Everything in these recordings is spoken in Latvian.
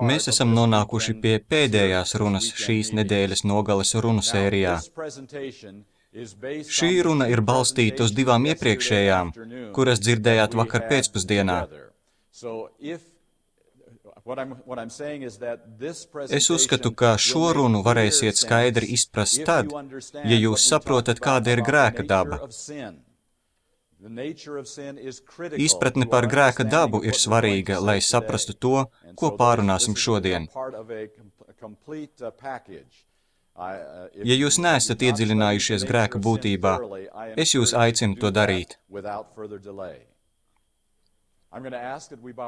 Mēs esam nonākuši pie pēdējās runas šīs nedēļas nogales runu sērijā. Šī runa ir balstīta uz divām iepriekšējām, kuras dzirdējāt vakar pēcpusdienā. Es uzskatu, ka šo runu varēsiet skaidri izprast tad, ja jūs saprotat, kāda ir grēka daba. Izpratne par grēka dabu ir svarīga, lai saprastu to, ko pārunāsim šodien. Ja jūs neesat iedziļinājušies grēka būtībā, es jūs aicinu to darīt.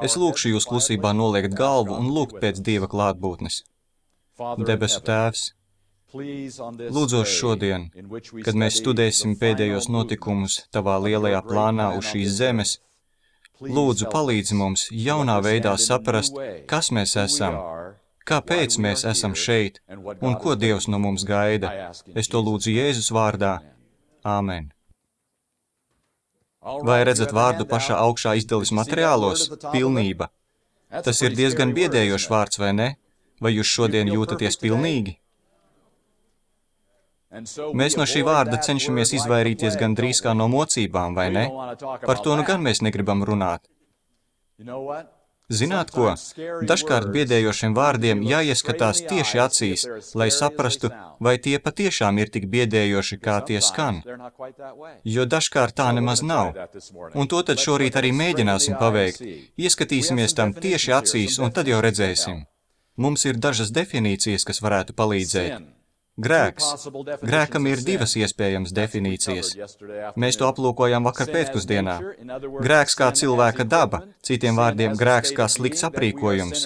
Es lūkšu jūs klusībā noliekt galvu un lūgt pēc Dieva klātbūtnes. Debesu Tēvs, lūdzos šodien, kad mēs studēsim pēdējos notikumus Tavā lielajā plānā uz šīs zemes, lūdzu palīdzi mums jaunā veidā saprast, kas mēs esam, kāpēc mēs esam šeit un ko Dievs no mums gaida. Es to lūdzu Jēzus vārdā. Āmen. Vai redzat vārdu pašā augšā izdeles materiālos? Pilnība. Tas ir diezgan biedējošs vārds, vai ne? Vai jūs šodien jūtaties pilnīgi? Mēs no šī vārda cenšamies izvairīties gandrīz kā no mocībām, vai ne? Par to nu gan mēs negribam runāt. Zināt ko? Dažkārt biedējošiem vārdiem jāieskatās tieši acīs, lai saprastu, vai tie patiešām ir tik biedējoši, kā tie skan. Jo dažkārt tā nemaz nav. Un to tad šorīt arī mēģināsim paveikt. Ieskatīsimies tam tieši acīs, un tad jau redzēsim. Mums ir dažas definīcijas, kas varētu palīdzēt. Grēks. Grēkam ir divas iespējamas definīcijas. Mēs to aplūkojām vakar pēcpusdienā. Grēks kā cilvēka daba, citiem vārdiem grēks kā slikts aprīkojums.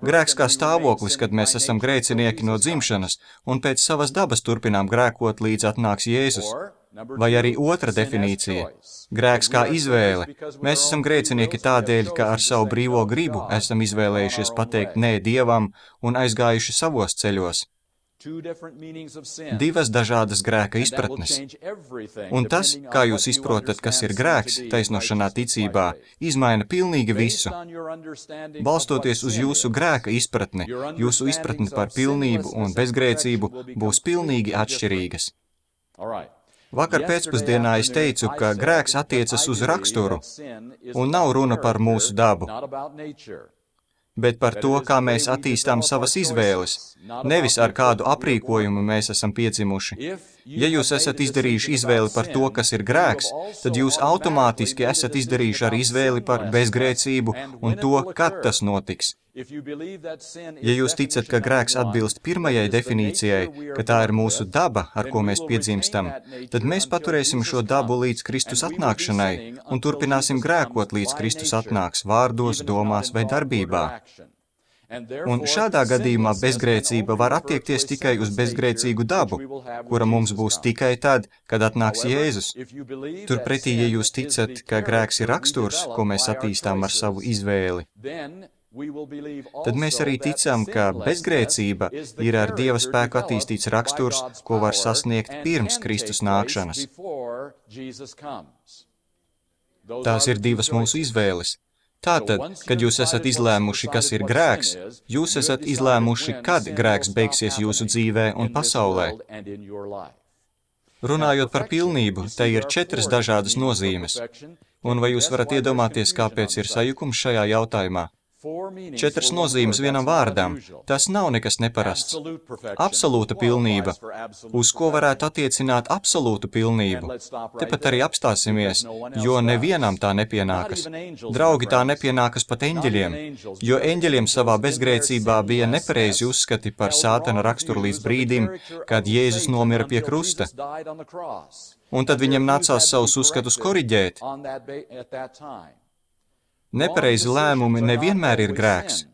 Grēks kā stāvoklis, kad mēs esam grēcinieki no dzimšanas un pēc savas dabas turpinām grēkot, līdz atnāks Jēzus. Vai arī otra definīcija. Grēks kā izvēle. Mēs esam grēcinieki tādēļ, ka ar savu brīvo gribu esam izvēlējušies pateikt nē Dievam un aizgājuši savos ceļos. Divas dažādas grēka izpratnes. Un tas, kā jūs izprotat, kas ir grēks, taisnošanā ticībā, izmaina pilnīgi visu. Balstoties uz jūsu grēka izpratni, jūsu izpratni par pilnību un bezgrēcību būs pilnīgi atšķirīgas. Vakar pēcpusdienā es teicu, ka grēks attiecas uz raksturu, un nav runa par mūsu dabu, bet par to, kā mēs attīstām savas izvēles, nevis ar kādu aprīkojumu mēs esam piedzimuši. Ja jūs esat izdarījuši izvēli par to, kas ir grēks, tad jūs automātiski esat izdarījuši arī izvēli par bezgrēcību un to, kad tas notiks. Ja jūs ticat, ka grēks atbilst pirmajai definīcijai, ka tā ir mūsu daba, ar ko mēs piedzimstam, tad mēs paturēsim šo dabu līdz Kristus atnākšanai un turpināsim grēkot, līdz Kristus atnāks vārdos, domās vai darbībā. Un šādā gadījumā bezgrēcība var attiekties tikai uz bezgrēcīgu dabu, kura mums būs tikai tad, kad atnāks Jēzus. Turpretī, ja jūs ticat, ka grēks ir raksturs, ko mēs attīstām ar savu izvēli, tad mēs arī ticam, ka bezgrēcība ir ar Dieva spēku attīstīts raksturs, ko var sasniegt pirms Kristus nākšanas. Tās ir divas mūsu izvēles. Tātad, kad jūs esat izlēmuši, kas ir grēks, jūs esat izlēmuši, kad grēks beigsies jūsu dzīvē un pasaulē. Runājot par pilnību, te ir 4 dažādas nozīmes. Un vai jūs varat iedomāties, kāpēc ir sajukums šajā jautājumā? 4 nozīmes vienam vārdam. Tas nav nekas neparasts. Absolūta pilnība. Uz ko varētu attiecināt absolūtu pilnību? Tepat arī apstāsimies, jo nevienam tā nepienākas. Draugi, tā nepienākas pat eņģeļiem, jo eņģeļiem savā bezgrēcībā bija nepareizi uzskati par sātana raksturu līdz brīdim, kad Jēzus nomira pie krusta. Un tad viņam nācās savus uzskatus koriģēt. Nepareizi lēmumi nevienmēr ir grēks.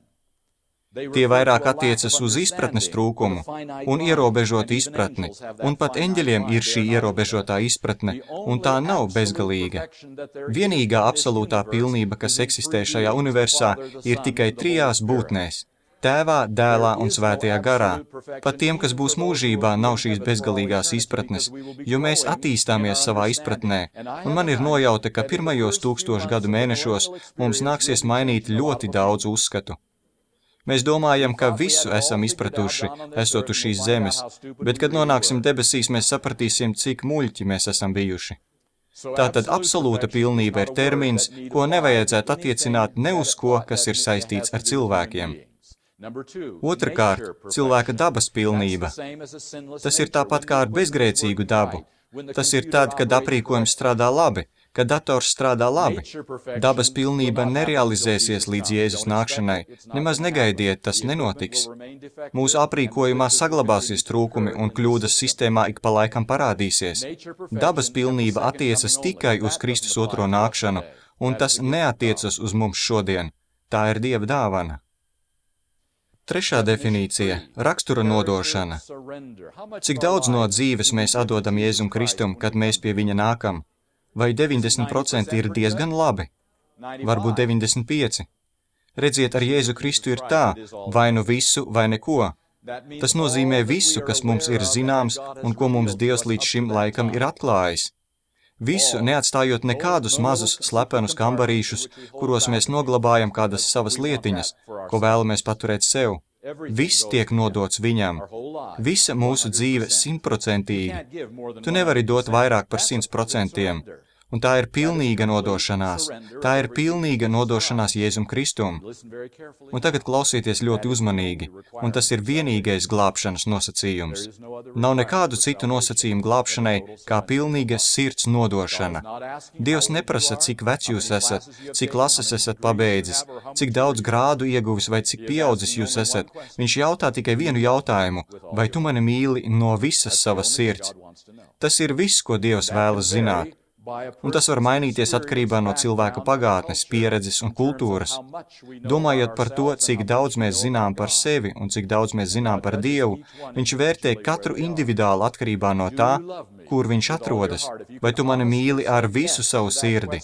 Tie vairāk attiecas uz izpratnes trūkumu un ierobežotu izpratni, un pat eņģeļiem ir šī ierobežotā izpratne, un tā nav bezgalīga. Vienīgā absolūtā pilnība, kas eksistē šajā universā, ir tikai 3 būtnēs Tēvā, Dēlā un Svētajā garā. Pat tiem, kas būs mūžībā, nav šīs bezgalīgās izpratnes, jo mēs attīstāmies savā izpratnē, un man ir nojauta, ka pirmajos 1000 gadu mēnešos mums nāksies mainīt ļoti daudz uzskatu. Mēs domājam, ka visu esam izpratuši, esot uz šīs zemes, bet, kad nonāksim debesīs, mēs sapratīsim, cik muļķi mēs esam bijuši. Tātad absolūta pilnība ir termins, ko nevajadzētu attiecināt ne uz ko, kas ir saistīts ar cilvēkiem. Otrakārt, cilvēka dabas pilnība. Tas ir tāpat kā ar bezgrēcīgu dabu. Tas ir tad, kad aprīkojums strādā labi, kad dators strādā labi. Dabas pilnība nerealizēsies līdz Jēzus nākšanai. Nemaz negaidiet, tas nenotiks. Mūsu aprīkojumā saglabāsies trūkumi un kļūdas sistēmā ik pa laikam parādīsies. Dabas pilnība attiecas tikai uz Kristus otro nākšanu, un tas neatiecas uz mums šodien. Tā ir Dieva dāvana. Trešā definīcija – rakstura nodošana. Cik daudz no dzīves mēs atdodam Jēzum Kristum, kad mēs pie viņa nākam? Vai 90% ir diezgan labi? Varbūt 95%. Redziet, ar Jēzu Kristu ir tā, vai nu visu, vai neko. Tas nozīmē visu, kas mums ir zināms un ko mums Dievs līdz šim laikam ir atklājis. Visu, neatstājot nekādus mazus slepenus kambarīšus, kuros mēs noglabājam kādas savas lietiņas, ko vēlamies paturēt sev. Viss tiek nodots viņam. Visa mūsu dzīve 100%. Tu nevari dot vairāk par 100%. Un tā ir pilnīga nodošanās. Tā ir pilnīga nodošanās Jēzum Kristum. Un tagad klausieties ļoti uzmanīgi, un tas ir vienīgais glābšanas nosacījums. Nav nekādu citu nosacījumu glābšanai, kā pilnīga sirds nodošana. Dievs neprasa, cik vecs jūs esat, cik lases esat pabeidzis, cik daudz grādu ieguvis vai cik pieaudzis jūs esat. Viņš jautā tikai vienu jautājumu, vai tu mani mīli no visas savas sirds. Tas ir viss, ko Dievs vēlas zināt. Un tas var mainīties atkarībā no cilvēka pagātnes, pieredzes un kultūras. Domājot par to, cik daudz mēs zinām par sevi un cik daudz mēs zinām par Dievu, viņš vērtē katru individuāli atkarībā no tā, kur viņš atrodas. Vai tu mani mīli ar visu savu sirdi?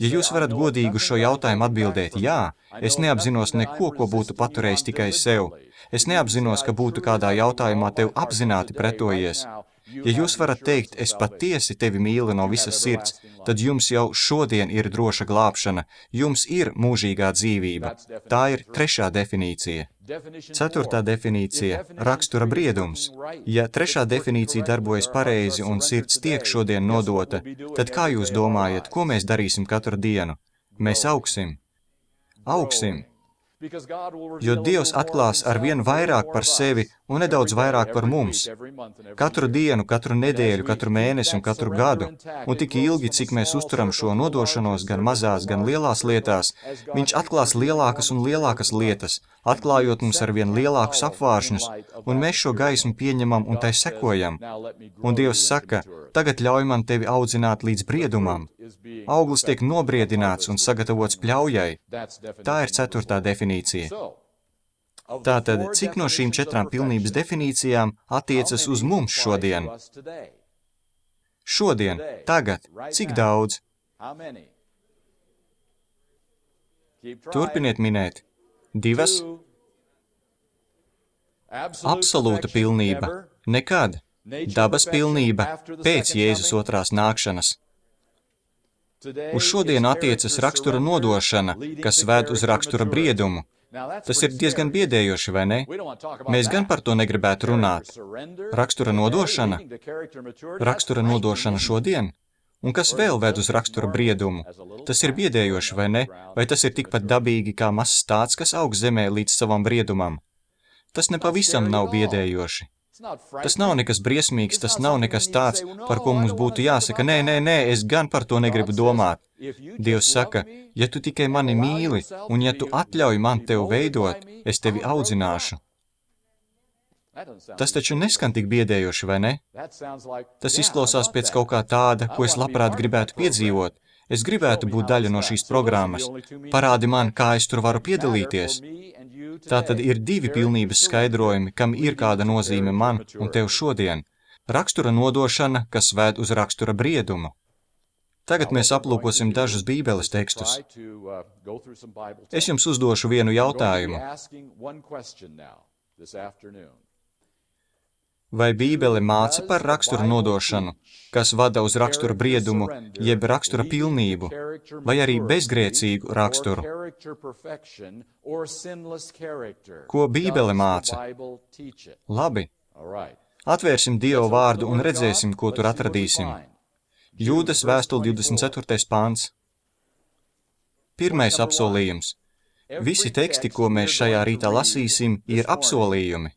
Ja jūs varat godīgi uz šo jautājumu atbildēt jā, es neapzinos neko, ko būtu paturējis tikai sev. Es neapzinos, ka būtu kādā jautājumā tev apzināti pretojies. Ja jūs varat teikt, es patiesi tevi mīlu no visas sirds, tad jums jau šodien ir droša glābšana, jums ir mūžīgā dzīvība. Tā ir trešā definīcija. Ceturtā definīcija – rakstura briedums. Ja trešā definīcija darbojas pareizi un sirds tiek šodien nodota, tad kā jūs domājat, ko mēs darīsim katru dienu? Mēs augsim. Augsim. Jo Dievs atklās ar vien vairāk par sevi un nedaudz vairāk par mums. Katru dienu, katru nedēļu, katru mēnesi un katru gadu. Un tik ilgi, cik mēs uzturam šo nodošanos gan mazās, gan lielās lietās, viņš atklās lielākas un lielākas lietas, atklājot mums ar vien lielākus apvāršņus, un mēs šo gaismu pieņemam un tai sekojam. Un Dievs saka, tagad ļauj man tevi audzināt līdz briedumam. Auglis tiek nobriedināts un sagatavots pļaujai. Tā ir ceturtā definīcija. Tātad, cik no šīm 4 pilnības definīcijām attiecas uz mums šodien? Šodien, tagad, cik daudz? Turpiniet minēt. 2. Absolūta pilnība. Nekad. Dabas pilnība pēc Jēzus otrās nākšanas. Uz šodienu attiecas rakstura nodošana, kas ved uz rakstura briedumu. Tas ir diezgan biedējoši, vai ne? Mēs gan par to negribētu runāt. Rakstura nodošana? Rakstura nodošana šodien? Un kas vēl ved uz rakstura briedumu? Tas ir biedējoši, vai ne? Vai tas ir tikpat dabīgi kā mazs stāds, kas aug zemē līdz savam briedumam? Tas nepavisam nav biedējoši. Tas nav nekas briesmīgs, tas nav nekas tāds, par ko mums būtu jāsaka, nē, es gan par to negribu domāt. Dievs saka, ja tu tikai mani mīli, un ja tu atļauj man tevi veidot, es tevi audzināšu. Tas taču neskan tik biedējoši, vai ne? Tas izklausās pēc kaut kā tāda, ko es labprāt gribētu piedzīvot. Es gribētu būt daļa no šīs programmas. Parādi man, kā es tur varu piedalīties. Tātad ir 2 pilnības skaidrojumi, kam ir kāda nozīme man un tev šodien. Rakstura nodošana, kas ved uz rakstura briedumu. Tagad mēs aplūkosim dažus Bībeles tekstus. Es jums uzdošu vienu jautājumu. Vai Bībele māca par rakstura nodošanu, kas vada uz rakstura briedumu, jeb rakstura pilnību, vai arī bezgrēcīgu raksturu? Ko Bībele māca? Labi. Atvērsim Dieva vārdu un redzēsim, ko tur atradīsim. Jūdas vēstule 24. pāns. Pirmais apsolījums. Visi teksti, ko mēs šajā rītā lasīsim, ir apsolījumi.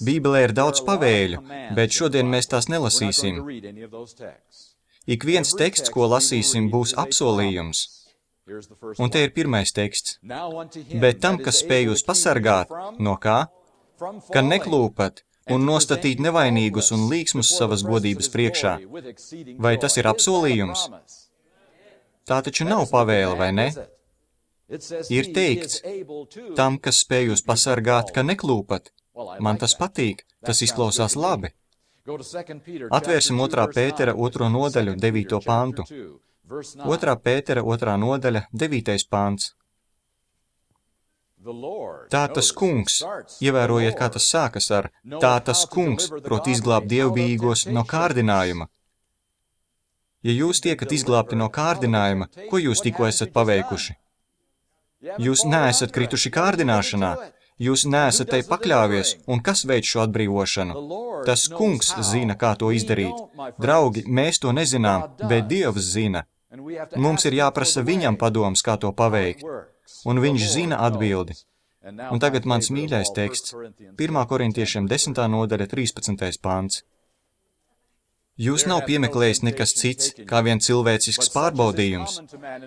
Bībelē ir daudz pavēļu, bet šodien mēs tās nelasīsim. Ik viens teksts, ko lasīsim, būs apsolījums. Un te ir pirmais teksts. Bet tam, kas spēj jūs pasargāt, no kā? Ka neklūpat un nostatīt nevainīgus un līksmus savas godības priekšā. Vai tas ir apsolījums? Tā taču nav pavēle, vai ne? Ir teikts, tam, kas spēj jūs pasargāt, ka neklūpat. Man tas patīk, tas izklausās labi. Atvērsim 2. Pētera 2. nodaļu, 9. pantu. 2. Pētera 2. nodaļa, 9. pants. Tā tas kungs, ievērojiet, kā tas sākas ar, tā tas kungs, prot izglābt dievbijīgos no kārdinājuma. Ja jūs tiekat izglābti no kārdinājuma, ko jūs tikko esat paveikuši? Jūs neesat krituši kārdināšanā, jūs neesat tai pakļāvies, un kas veic šo atbrīvošanu? Tas kungs zina, kā to izdarīt. Draugi, mēs to nezinām, bet Dievs zina. Mums ir jāprasa viņam padoms, kā to paveikt. Un viņš zina atbildi. Un tagad mans mīļais teksts, 1. Korintiešiem 10. nodaļa, 13. pāns. Jūs nav piemeklējis nekas cits, kā vien cilvēcisks pārbaudījums.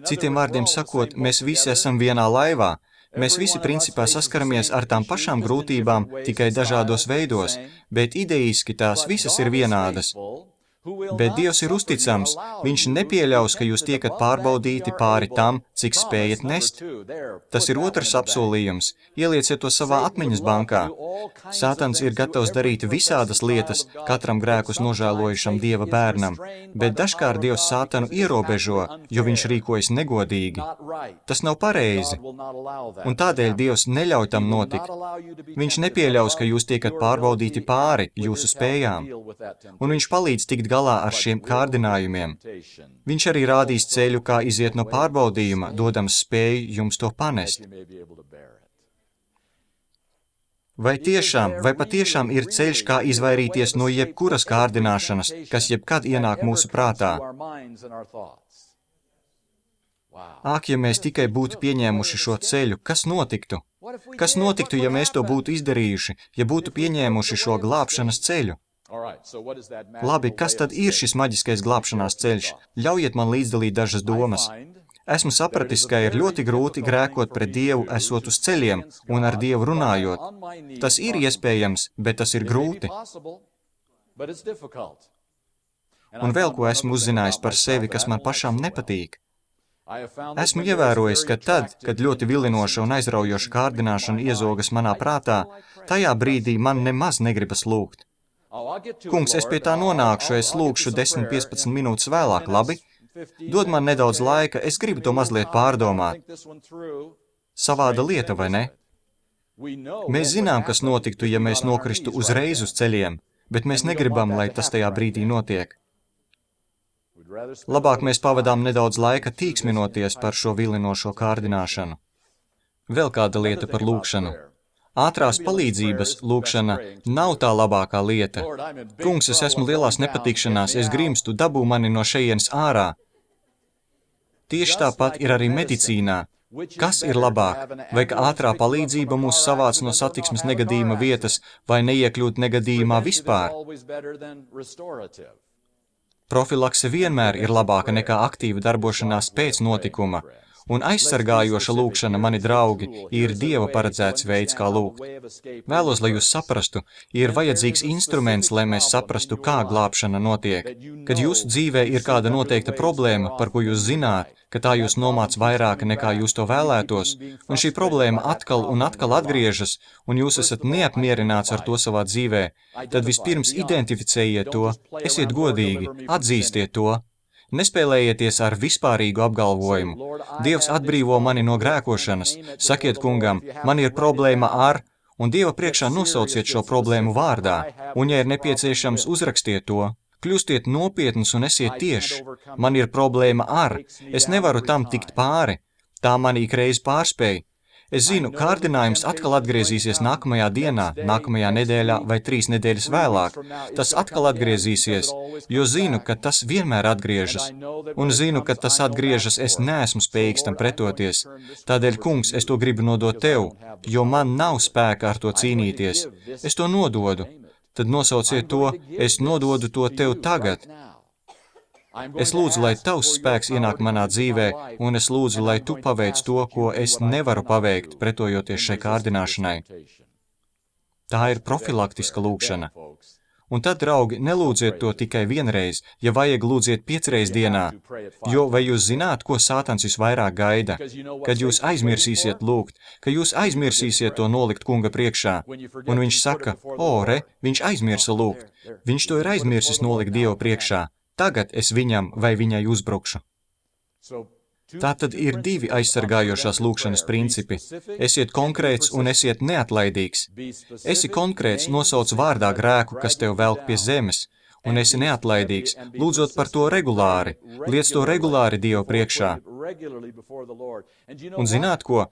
Citiem vārdiem sakot, mēs visi esam vienā laivā. Mēs visi principā saskaramies ar tām pašām grūtībām, tikai dažādos veidos, bet idejiski tās visas ir vienādas. Bet Dievs ir uzticams, viņš nepieļaus, ka jūs tiekat pārbaudīti pāri tam, cik spējat nest. Tas ir otrs apsolījums, ielieciet to savā atmiņas bankā. Sātans ir gatavs darīt visādas lietas katram grēkus nožēlojušam Dieva bērnam, bet dažkārt Dievs Sātanu ierobežo, jo viņš rīkojas negodīgi. Tas nav pareizi, un tādēļ Dievs neļauj tam notikt. Viņš nepieļaus, ka jūs tiekat pārbaudīti pāri jūsu spējām, un viņš palīdz tikt galā ar šiem kārdinājumiem. Viņš arī rādīs ceļu, kā iziet no pārbaudījuma, dodams spēju jums to panest. Vai patiešām ir ceļš, kā izvairīties no jebkuras kārdināšanas, kas jebkad ienāk mūsu prātā? Ak, ja mēs tikai būtu pieņēmuši šo ceļu, kas notiktu? Kas notiktu, ja mēs to būtu izdarījuši, ja būtu pieņēmuši šo glābšanas ceļu? Labi, kas tad ir šis maģiskais glābšanās ceļš? Ļaujiet man līdzdalīt dažas domas. Esmu sapratis, ka ir ļoti grūti grēkot pret Dievu, esot uz ceļiem un ar Dievu runājot. Tas ir iespējams, bet tas ir grūti. Un vēl ko esmu uzzinājis par sevi, kas man pašām nepatīk. Esmu ievērojis, ka tad, kad ļoti vilinoša un aizraujoša kārdināšana iezogas manā prātā, tajā brīdī man nemaz negribas lūgt. Kungs, es pie tā nonākšu, es lūgšu 10-15 minūtes vēlāk, labi? Dod man nedaudz laika, es gribu to mazliet pārdomāt. Savāda lieta, vai ne? Mēs zinām, kas notiktu, ja mēs nokristu uzreiz uz ceļiem, bet mēs negribam, lai tas tajā brīdī notiek. Labāk mēs pavadām nedaudz laika tīksminoties par šo vilinošo kārdināšanu. Vēl kāda lieta par lūgšanu. Ātrās palīdzības lūgšana nav tā labākā lieta. Kungs, es esmu lielās nepatikšanās, es grimstu, dabū mani no šejienes ārā. Tieši tāpat ir arī medicīnā. Kas ir labāk? Vai ka ātrā palīdzība mūs savāc no satiksmes negadījuma vietas, vai neiekļūt negadījumā vispār? Profilakse vienmēr ir labāka nekā aktīva darbošanās pēc notikuma, Un aizsargājoša lūkšana, mani draugi, ir Dieva paredzēts veids, kā lūgt. Vēlos, lai jūs saprastu, ir vajadzīgs instruments, lai mēs saprastu, kā glābšana notiek. Kad jūsu dzīvē ir kāda noteikta problēma, par ko jūs zināt, ka tā jūs nomāc vairāk nekā jūs to vēlētos, un šī problēma atkal un atkal atgriežas, un jūs esat neapmierināts ar to savā dzīvē, tad vispirms identificējiet to, esiet godīgi, atzīstiet to. Nespēlējieties ar vispārīgu apgalvojumu. Dievs atbrīvo mani no grēkošanas. Sakiet kungam, man ir problēma ar, un Dieva priekšā nosauciet šo problēmu vārdā, un, ja ir nepieciešams, uzrakstiet to. Kļūstiet nopietns un esiet tieši. Man ir problēma ar, es nevaru tam tikt pāri. Tā mani ikreiz pārspēj. Es zinu, kārdinājums atkal atgriezīsies nākamajā dienā, nākamajā nedēļā vai 3 nedēļas vēlāk. Tas atkal atgriezīsies, jo zinu, ka tas vienmēr atgriežas. Un zinu, ka tas atgriežas, es neesmu spējīgs tam pretoties. Tādēļ, kungs, es to gribu nodot tev, jo man nav spēka ar to cīnīties. Es to nododu. Tad nosauciet to, es nododu to tev tagad. Es lūdzu, lai tavs spēks ienāk manā dzīvē, un es lūdzu, lai tu paveic to, ko es nevaru paveikt, pretojoties šai kārdināšanai. Tā ir profilaktiska lūkšana. Un tad, draugi, nelūdziet to tikai vienreiz, ja vajag lūdziet 5 reizes dienā, jo vai jūs zināt, ko Sātans visvairāk gaida? Kad jūs aizmirsīsiet lūgt, ka jūs aizmirsīsiet to nolikt kunga priekšā, un viņš saka, viņš aizmirsa lūgt, viņš to ir aizmirsis nolikt Dievu priekšā. Tagad es viņam vai viņai uzbrukšu. Tātad ir 2 aizsargājošās lūkšanas principi. Esiet konkrēts un esiet neatlaidīgs. Esi konkrēts, nosauc vārdā grēku, kas tev velk pie zemes, un esi neatlaidīgs, lūdzot par to regulāri, liec to regulāri Dievu priekšā. Un zināt ko?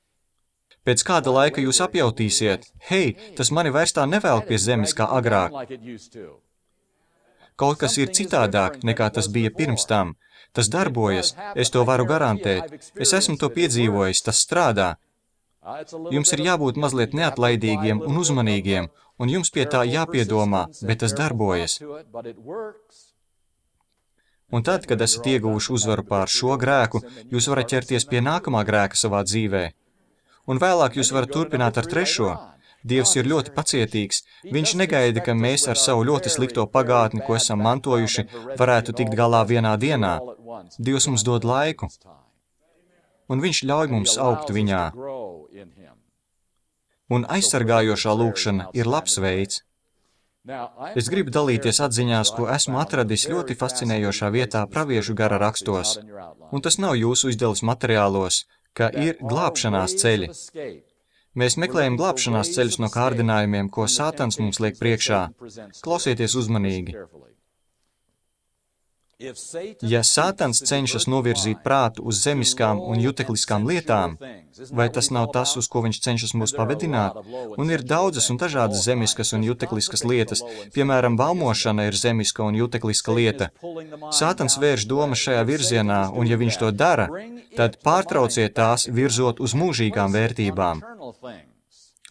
Pēc kāda laika jūs apjautīsiet, hei, tas mani vairs tā nevelk pie zemes kā agrāk. Kaut kas ir citādāk, nekā tas bija pirms tam. Tas darbojas, es to varu garantēt. Es esmu to piedzīvojis, tas strādā. Jums ir jābūt mazliet neatlaidīgiem un uzmanīgiem, un jums pie tā jāpiedomā, bet tas darbojas. Un tad, kad esat ieguvuši uzvaru pār šo grēku, jūs varat ķerties pie nākamā grēka savā dzīvē. Un vēlāk jūs varat turpināt ar 3. Dievs ir ļoti pacietīgs. Viņš negaida, ka mēs ar savu ļoti slikto pagātni, ko esam mantojuši, varētu tikt galā vienā dienā. Dievs mums dod laiku, un viņš ļauj mums augt viņā. Un aizsargājošā lūkšana ir labs veids. Es gribu dalīties atziņās, ko esmu atradis ļoti fascinējošā vietā praviešu gara rakstos. Un tas nav jūsu izdeles materiālos, ka ir glābšanās ceļi. Mēs meklējam glābšanās ceļus no kārdinājumiem, ko Sātans mums liek priekšā. Klausieties uzmanīgi. Ja Sātans cenšas novirzīt prātu uz zemiskām un jutekliskām lietām, vai tas nav tas, uz ko viņš cenšas mūs pavedināt? Un ir daudzas un dažādas zemiskas un jutekliskas lietas, piemēram, baumošana ir zemiska un jutekliska lieta. Sātans vērš domas šajā virzienā, un ja viņš to dara, tad pārtrauciet tās virzot uz mūžīgām vērtībām.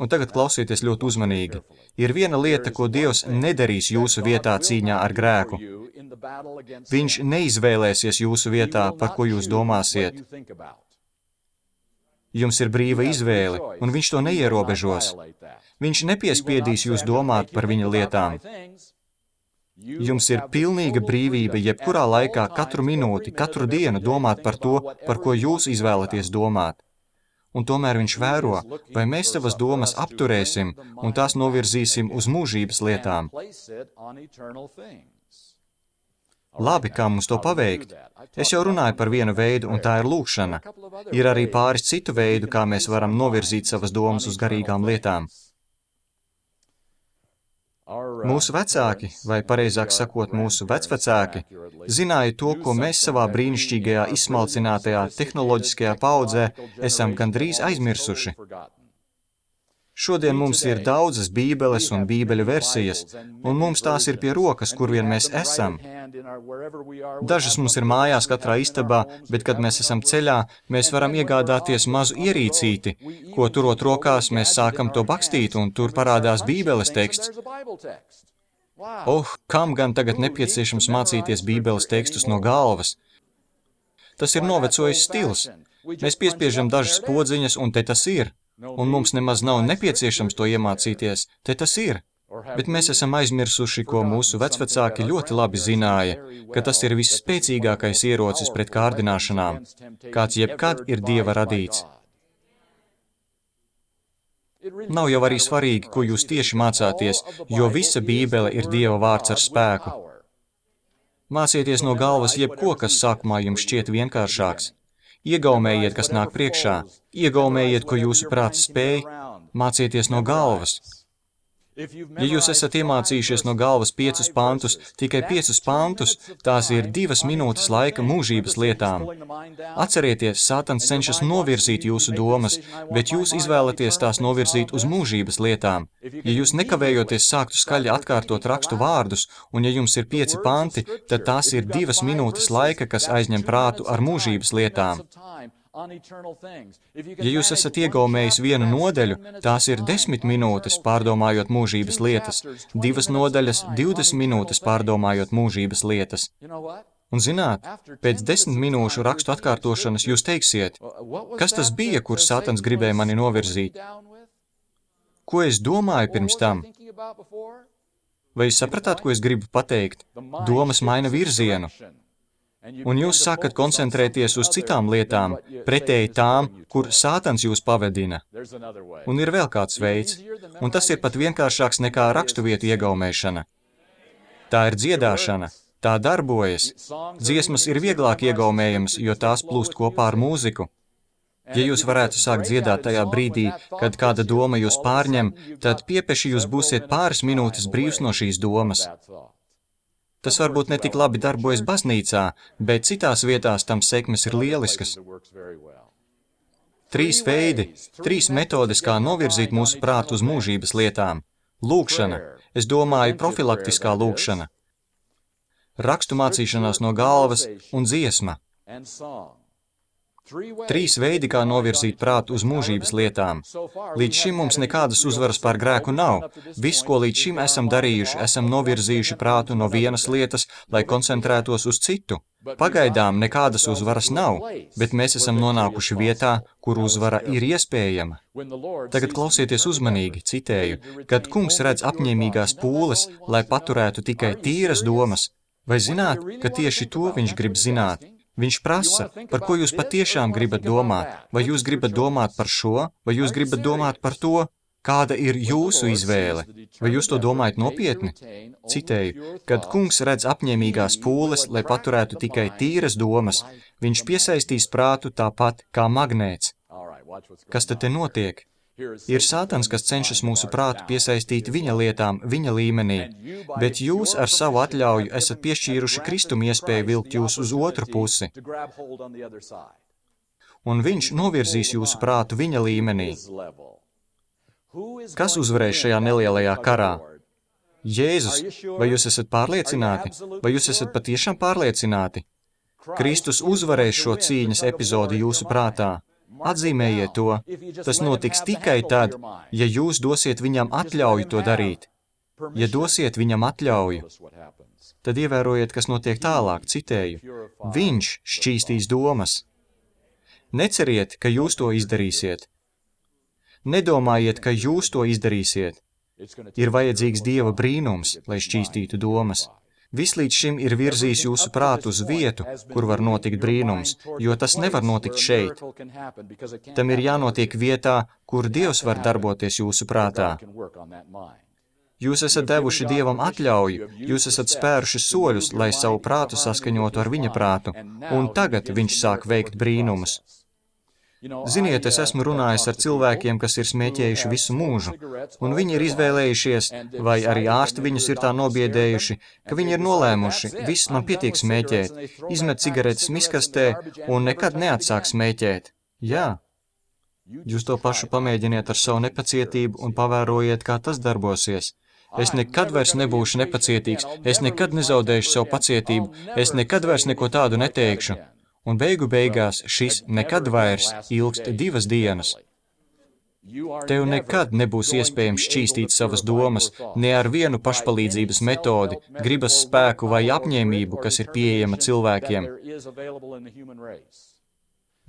Un tagad klausieties ļoti uzmanīgi. Ir viena lieta, ko Dievs nedarīs jūsu vietā cīņā ar grēku. Viņš neizvēlēsies jūsu vietā, par ko jūs domāsiet. Jums ir brīva izvēle, un viņš to neierobežos. Viņš nepiespiedīs jūs domāt par viņa lietām. Jums ir pilnīga brīvība jebkurā laikā, katru minūti, katru dienu domāt par to, par ko jūs izvēlaties domāt. Un tomēr viņš vēro, vai mēs savas domas apturēsim un tās novirzīsim uz mūžības lietām. Labi, kā mums to paveikt? Es jau runāju par vienu veidu, un tā ir lūkšana. Ir arī pāris citu veidu, kā mēs varam novirzīt savas domas uz garīgām lietām. Mūsu vecāki, vai pareizāk sakot mūsu vecvecāki, zināja to, ko mēs savā brīnišķīgajā izsmalcinātajā tehnoloģiskajā paudzē esam gandrīz aizmirsuši. Šodien mums ir daudzas bībeles un bībeļu versijas, un mums tās ir pie rokas, kur vien mēs esam. Dažas mums ir mājās katrā istabā, bet, kad mēs esam ceļā, mēs varam iegādāties mazu ierīcīti, ko turot rokās mēs sākam to bakstīt, un tur parādās bībeles teksts. Kam gan tagad nepieciešams mācīties bībeles tekstus no galvas? Tas ir novecojis stils. Mēs piespiežam dažas podziņas, un te tas ir. Un mums nemaz nav nepieciešams to iemācīties, te tas ir. Bet mēs esam aizmirsuši, ko mūsu vecvecāki ļoti labi zināja, ka tas ir visspēcīgākais ierocis pret kārdināšanām, kāds jebkad ir Dieva radīts. Nav jau arī svarīgi, ko jūs tieši mācāties, jo visa Bībele ir Dieva vārds ar spēku. Mācieties no galvas jebko, kas sākumā jums šķiet vienkāršāks. Iegaumējiet, kas nāk priekšā. Iegaumējiet, ko jūsu prāts spēj. Mācieties no galvas. Ja jūs esat iemācījušies no galvas 5 pantus, tikai 5 pantus, tās ir 2 minūtes laika mūžības lietām. Atcerieties, Sātans cenšas novirzīt jūsu domas, bet jūs izvēlaties tās novirzīt uz mūžības lietām. Ja jūs nekavējoties sāktu skaļi atkārtot rakstu vārdus, un ja jums ir 5 panti, tad tās ir 2 minūtes laika, kas aizņem prātu ar mūžības lietām. Ja jūs esat iegaumējis 1 nodaļu, tās ir 10 minūtes pārdomājot mūžības lietas, 2 nodaļas 20 minūtes pārdomājot mūžības lietas. Un zināt, pēc 10 minūšu rakstu atkārtošanas jūs teiksiet, kas tas bija, kur Sātans gribēja mani novirzīt? Ko es domāju pirms tam? Vai jūs sapratāt, ko es gribu pateikt? Domas maina virzienu. Un jūs sākat koncentrēties uz citām lietām, pretēji tām, kur Sātans jūs pavedina. Un ir vēl kāds veids, un tas ir pat vienkāršāks nekā raksturvietu iegaumēšana. Tā ir dziedāšana, tā darbojas. Dziesmas ir vieglāk iegaumējamas, jo tās plūst kopā ar mūziku. Ja jūs varētu sākt dziedāt tajā brīdī, kad kāda doma jūs pārņem, tad piepeši jūs būsiet pāris minūtes brīvs no šīs domas. Tas varbūt ne tik labi darbojas baznīcā, bet citās vietās tam sekmes ir lieliskas. 3 veidi, 3 metodes, kā novirzīt mūsu prātu uz mūžības lietām. Lūgšana, es domāju profilaktiskā lūgšana. Rakstu mācīšanās no galvas un dziesma. 3 veidi, kā novirzīt prātu uz mūžības lietām. Līdz šim mums nekādas uzvaras pār grēku nav. Viss, ko līdz šim esam darījuši, esam novirzījuši prātu no vienas lietas, lai koncentrētos uz citu. Pagaidām nekādas uzvaras nav, bet mēs esam nonākuši vietā, kur uzvara ir iespējama. Tagad klausieties uzmanīgi, citēju, kad kungs redz apņēmīgās pūles, lai paturētu tikai tīras domas. Vai zināt, ka tieši to viņš grib zināt? Viņš prasa, par ko jūs patiešām gribat domāt. Vai jūs gribat domāt par šo, vai jūs gribat domāt par to? Kāda ir jūsu izvēle? Vai jūs to domājat nopietni? Citēju, kad kungs redz apņēmīgās pūles, lai paturētu tikai tīras domas, viņš piesaistīs prātu tāpat kā magnēts. Kas tad te notiek? Ir Sātans, kas cenšas mūsu prātu piesaistīt viņa lietām, viņa līmenī, bet jūs ar savu atļauju esat piešķīruši Kristum iespēju vilkt jūs uz otru pusi. Un viņš novirzīs jūsu prātu viņa līmenī. Kas uzvarēs šajā nelielajā karā? Jēzus, vai jūs esat pārliecināti? Vai jūs esat patiešām pārliecināti? Kristus uzvarēs šo cīņas epizodi jūsu prātā. Atzīmējiet to. Tas notiks tikai tad, ja jūs dosiet viņam atļauju to darīt. Ja dosiet viņam atļauju, tad ievērojiet, kas notiek tālāk, citēju. Viņš šķīstīs domas. Neceriet, ka jūs to izdarīsiet. Nedomājiet, ka jūs to izdarīsiet. Ir vajadzīgs Dieva brīnums, lai šķīstītu domas. Viss līdz šim ir virzījis jūsu prātu uz vietu, kur var notikt brīnums, jo tas nevar notikt šeit. Tam ir jānotiek vietā, kur Dievs var darboties jūsu prātā. Jūs esat devuši Dievam atļauju, jūs esat spēruši soļus, lai savu prātu saskaņotu ar viņa prātu, un tagad viņš sāk veikt brīnumus. Ziniet, es esmu runājis ar cilvēkiem, kas ir smēķējuši visu mūžu, un viņi ir izvēlējušies, vai arī ārsti viņus ir tā nobiedējuši, ka viņi ir nolēmuši, viss man pietiek smēķēt, izmet cigaretes miskastē un nekad neatsāk smēķēt. Jā. Jūs to pašu pamēģiniet ar savu nepacietību un pavērojiet, kā tas darbosies. Es nekad vairs nebūšu nepacietīgs, es nekad nezaudēšu savu pacietību, es nekad vairs neko tādu neteikšu. Un beigu beigās šis nekad vairs ilgst 2 dienas. Tev nekad nebūs iespējams šķīstīt savas domas, ne ar vienu pašpalīdzības metodi, gribas spēku vai apņēmību, kas ir pieejama cilvēkiem.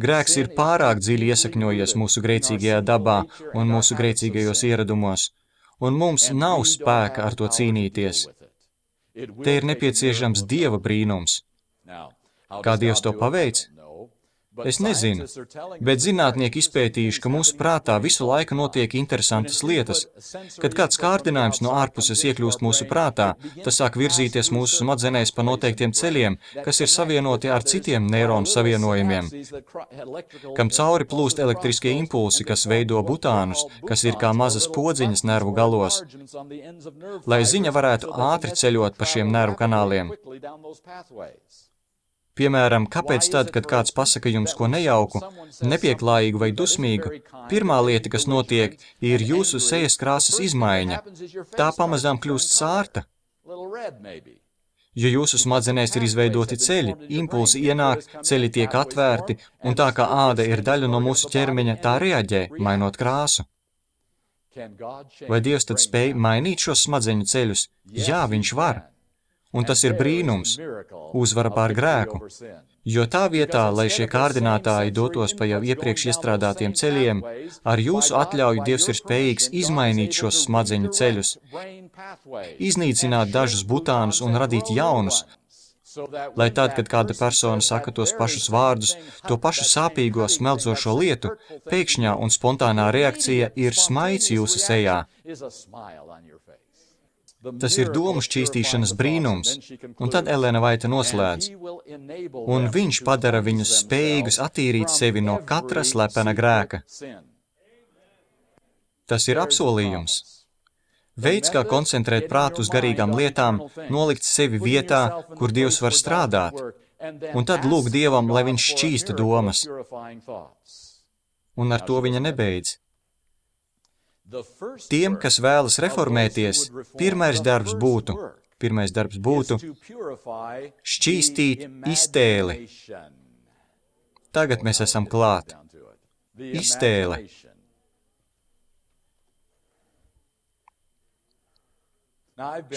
Grēks ir pārāk dziļi iesakņojies mūsu grēcīgajā dabā un mūsu grēcīgajos ieradumos, un mums nav spēka ar to cīnīties. Te ir nepieciešams Dieva brīnums. Kā Dievs to paveic? Es nezinu, bet zinātnieki izpētījuši, ka mūsu prātā visu laiku notiek interesantas lietas. Kad kāds kārdinājums no ārpuses iekļūst mūsu prātā, tas sāk virzīties mūsu smadzenēs pa noteiktiem ceļiem, kas ir savienoti ar citiem neironu savienojumiem, kam cauri plūst elektriskie impulsi, kas veido butānus, kas ir kā mazas podziņas nervu galos, lai ziņa varētu ātri ceļot pa šiem nervu kanāliem. Piemēram, kāpēc tad, kad kāds pasaka jums ko nejauku, nepieklājīgu vai dusmīgu, pirmā lieta, kas notiek, ir jūsu sejas krāsas izmaiņa. Tā pamazām kļūst sārta. Jo jūsu smadzenēs ir izveidoti ceļi, impulsi ienāk, ceļi tiek atvērti, un tā kā āda ir daļa no mūsu ķermeņa, tā reaģē, mainot krāsu. Vai Dievs tad spēj mainīt šos smadzeņu ceļus? Jā, viņš var. Un tas ir brīnums, uzvara pār grēku, jo tā vietā, lai šie kārdinātāji dotos pa jau iepriekš iestrādātiem ceļiem, ar jūsu atļauju Dievs ir spējīgs izmainīt šos smadzeņu ceļus, iznīcināt dažus butānus un radīt jaunus, lai tad, kad kāda persona saka tos pašus vārdus, to pašu sāpīgo, smeldzošo lietu, pēkšņā un spontānā reakcija ir smaids jūsu sejā. Tas ir domu šķīstīšanas brīnums, un tad Elena Vaita noslēdz, un viņš padara viņus spējīgus attīrīt sevi no katra slepena grēka. Tas ir apsolījums. Veids, kā koncentrēt prātu uz garīgām lietām, nolikt sevi vietā, kur Dievs var strādāt, un tad lūgt Dievam, lai viņš šķīsta domas. Un ar to viņa nebeidz. Tiem, kas vēlas reformēties, pirmais darbs būtu šķīstīt iztēli. Tagad mēs esam klāt. Iztēle.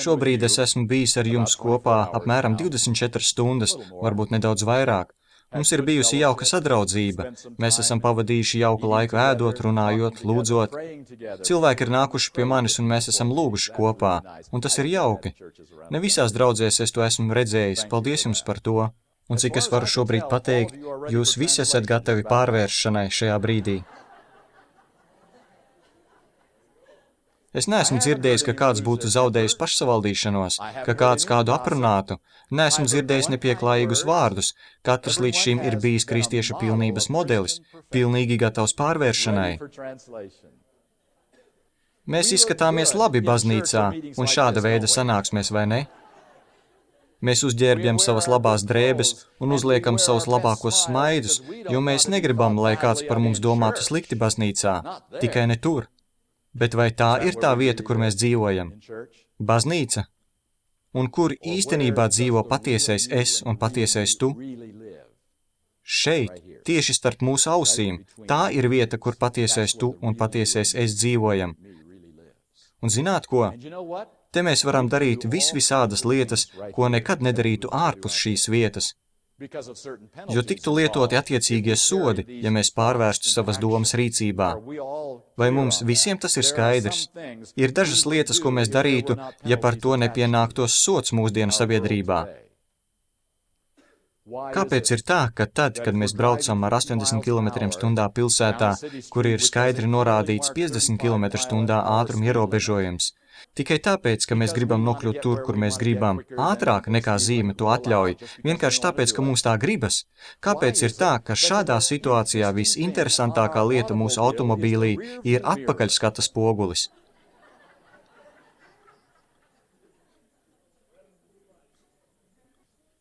Šobrīd es esmu bijis ar jums kopā apmēram 24 stundas, varbūt nedaudz vairāk. Mums ir bijusi jauka sadraudzība. Mēs esam pavadījuši jauku laiku ēdot, runājot, lūdzot. Cilvēki ir nākuši pie manis un mēs esam lūguši kopā, un tas ir jauki. Ne visās draudzēs es to esmu redzējis, paldies jums par to. Un cik es varu šobrīd pateikt, jūs visi esat gatavi pārvēršanai šajā brīdī. Es neesmu dzirdējis, ka kāds būtu zaudējis pašsavaldīšanos, ka kāds kādu aprunātu. Neesmu dzirdējis nepieklājīgus vārdus. Katrs līdz šim ir bijis kristieša pilnības modelis, pilnīgi gatavs pārvēršanai. Mēs izskatāmies labi baznīcā, un šāda veida sanāksmēs, vai ne? Mēs uzģērbjam savas labās drēbes un uzliekam savus labākos smaidus, jo mēs negribam, lai kāds par mums domātu slikti baznīcā, tikai ne tur. Bet vai tā ir tā vieta, kur mēs dzīvojam? Baznīca? Un kur īstenībā dzīvo patiesais es un patiesais tu? Šeit, tieši starp mūsu ausīm, tā ir vieta, kur patiesais tu un patiesais es dzīvojam. Un zināt ko? Te mēs varam darīt visādas lietas, ko nekad nedarītu ārpus šīs vietas. Jo tiktu lietoti attiecīgie sodi, ja mēs pārvērstu savas domas rīcībā. Vai mums visiem tas ir skaidrs? Ir dažas lietas, ko mēs darītu, ja par to nepienāktos sods mūsdienu sabiedrībā. Kāpēc ir tā, ka tad, kad mēs braucam ar 80 km/h pilsētā, kur ir skaidri norādīts 50 km/h ātruma ierobežojums, tikai tāpēc, ka mēs gribam nokļūt tur, kur mēs gribam, ātrāk nekā zīme to atļauj, vienkārši tāpēc, ka mums tā gribas. Kāpēc ir tā, ka šādā situācijā visinteresantākā lieta mūsu automobīlī ir atpakaļskata spogulis?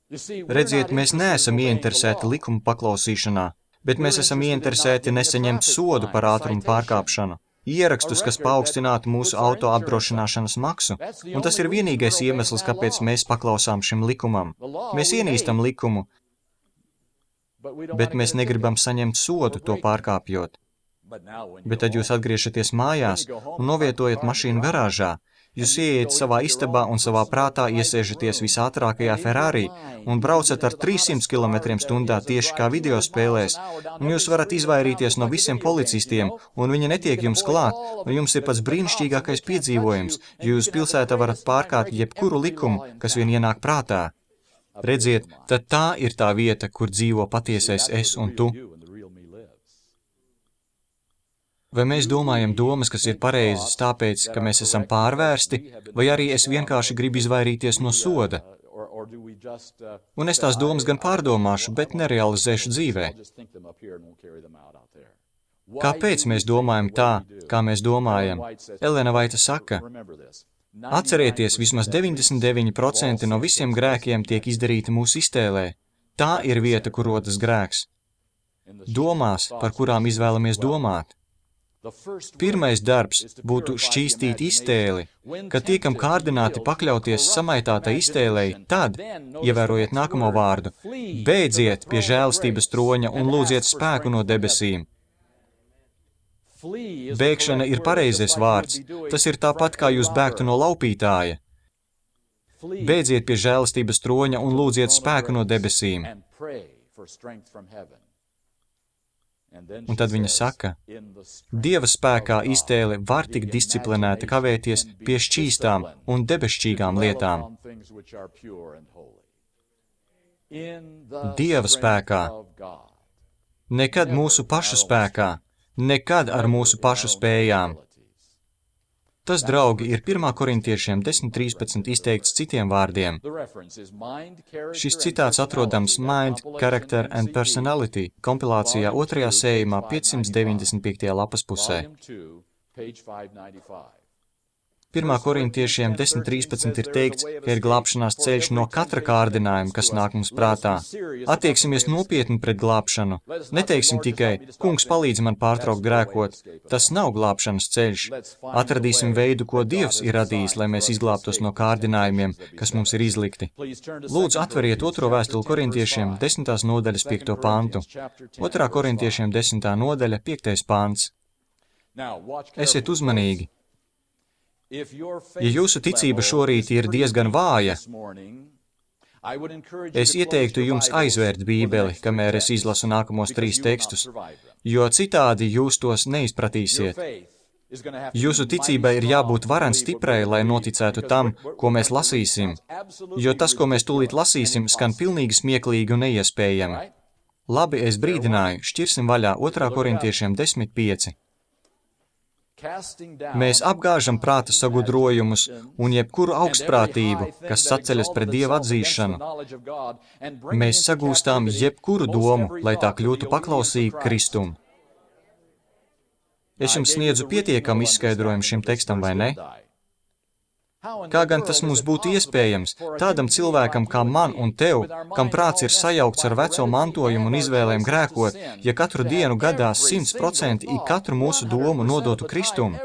Redziet, mēs neesam ieinteresēti likuma paklausīšanā, bet mēs esam ieinteresēti nesaņemt sodu par ātrumu pārkāpšanu. Ierakstus, kas paaugstinātu mūsu auto apdrošināšanas maksu, un tas ir vienīgais iemesls, kāpēc mēs paklausām šim likumam. Mēs ienīstam likumu, bet mēs negribam saņemt sodu to pārkāpjot. Bet tad jūs atgriežaties mājās un novietojat mašīnu garāžā. Jūs ieiet savā istabā un savā prātā iesēžaties visātrākajā Ferrari un braucat ar 300 km/h tieši kā video spēlēs, un jūs varat izvairīties no visiem policistiem, un viņi netiek jums klāt, un jums ir pats brīnišķīgākais piedzīvojums, jo jūs pilsētā varat pārkāpt jebkuru likumu, kas vien ienāk prātā. Redziet, tad tā ir tā vieta, kur dzīvo patiesais es un tu. Vai mēs domājam domas, kas ir pareizas tāpēc, ka mēs esam pārvērsti, vai arī es vienkārši gribu izvairīties no soda? Un es tās domas gan pārdomāšu, bet nerealizēšu dzīvē. Kāpēc mēs domājam tā, kā mēs domājam? Elena Vaita saka, atcerieties, vismaz 99% no visiem grēkiem tiek izdarīti mūsu iztēlē. Tā ir vieta, kur rodas grēks. Domās, par kurām izvēlamies domāt. Pirmais darbs būtu šķīstīt iztēli, kad tiekam kārdināti pakļauties samaitātai iztēlei, tad, ievērojiet nākamo vārdu, beidziet pie žēlastības troņa un lūdziet spēku no debesīm. Bēgšana ir pareizais vārds, tas ir tāpat, kā jūs bēgtu no laupītāja. Beidziet pie žēlastības troņa un lūdziet spēku no debesīm. Un tad viņa saka, Dieva spēkā iztēle var tik disciplinēta kavēties pie šķīstām un debesšķīgām lietām. Dieva spēkā. Nekad mūsu pašu spēkā, nekad ar mūsu pašu spējām. Tas, draugi, ir 1. korintiešiem 10.13 izteikts citiem vārdiem. Šis citāts atrodams Mind, Character and Personality kompilācijā 2. sējumā 595. lapas pusē. 1. korintiešiem 10.13 ir teikts, ka ir glābšanās ceļš no katra kārdinājuma, kas nāk mums prātā. Attieksimies nopietni pret glābšanu. Neteiksim tikai, kungs palīdz man pārtraukt grēkot. Tas nav glābšanas ceļš. Atradīsim veidu, ko Dievs ir radījis, lai mēs izglābtos no kārdinājumiem, kas mums ir izlikti. Lūdzu, atveriet 2. vēstuli korintiešiem 10. nodaļas 5. pantu. 2. korintiešiem 10. nodaļa 5. pants. Esiet uzmanīgi. Ja jūsu ticība šorīt ir diezgan vāja, es ieteiktu jums aizvērt Bībeli, kamēr es izlasu nākamos 3 tekstus, jo citādi jūs tos neizpratīsiet. Jūsu ticībai ir jābūt varen stiprai, lai noticētu tam, ko mēs lasīsim, jo tas, ko mēs tūlīt lasīsim, skan pilnīgi smieklīgi un neiespējami. Labi, es brīdināju, šķirsim vaļā 2. korintiešiem 10.5. Mēs apgāžam prāta sagudrojumus un jebkuru augstprātību, kas saceļas pret Dieva atzīšanu. Mēs sagūstām jebkuru domu, lai tā kļūtu paklausīga Kristum. Es jums sniedzu pietiekamu izskaidrojumu šim tekstam, vai ne? Kā gan tas mums būtu iespējams, tādam cilvēkam kā man un tev, kam prāts ir sajaukts ar veco mantojumu un izvēlēm grēkot, ja katru dienu gadā 100% katru mūsu domu nodotu Kristum?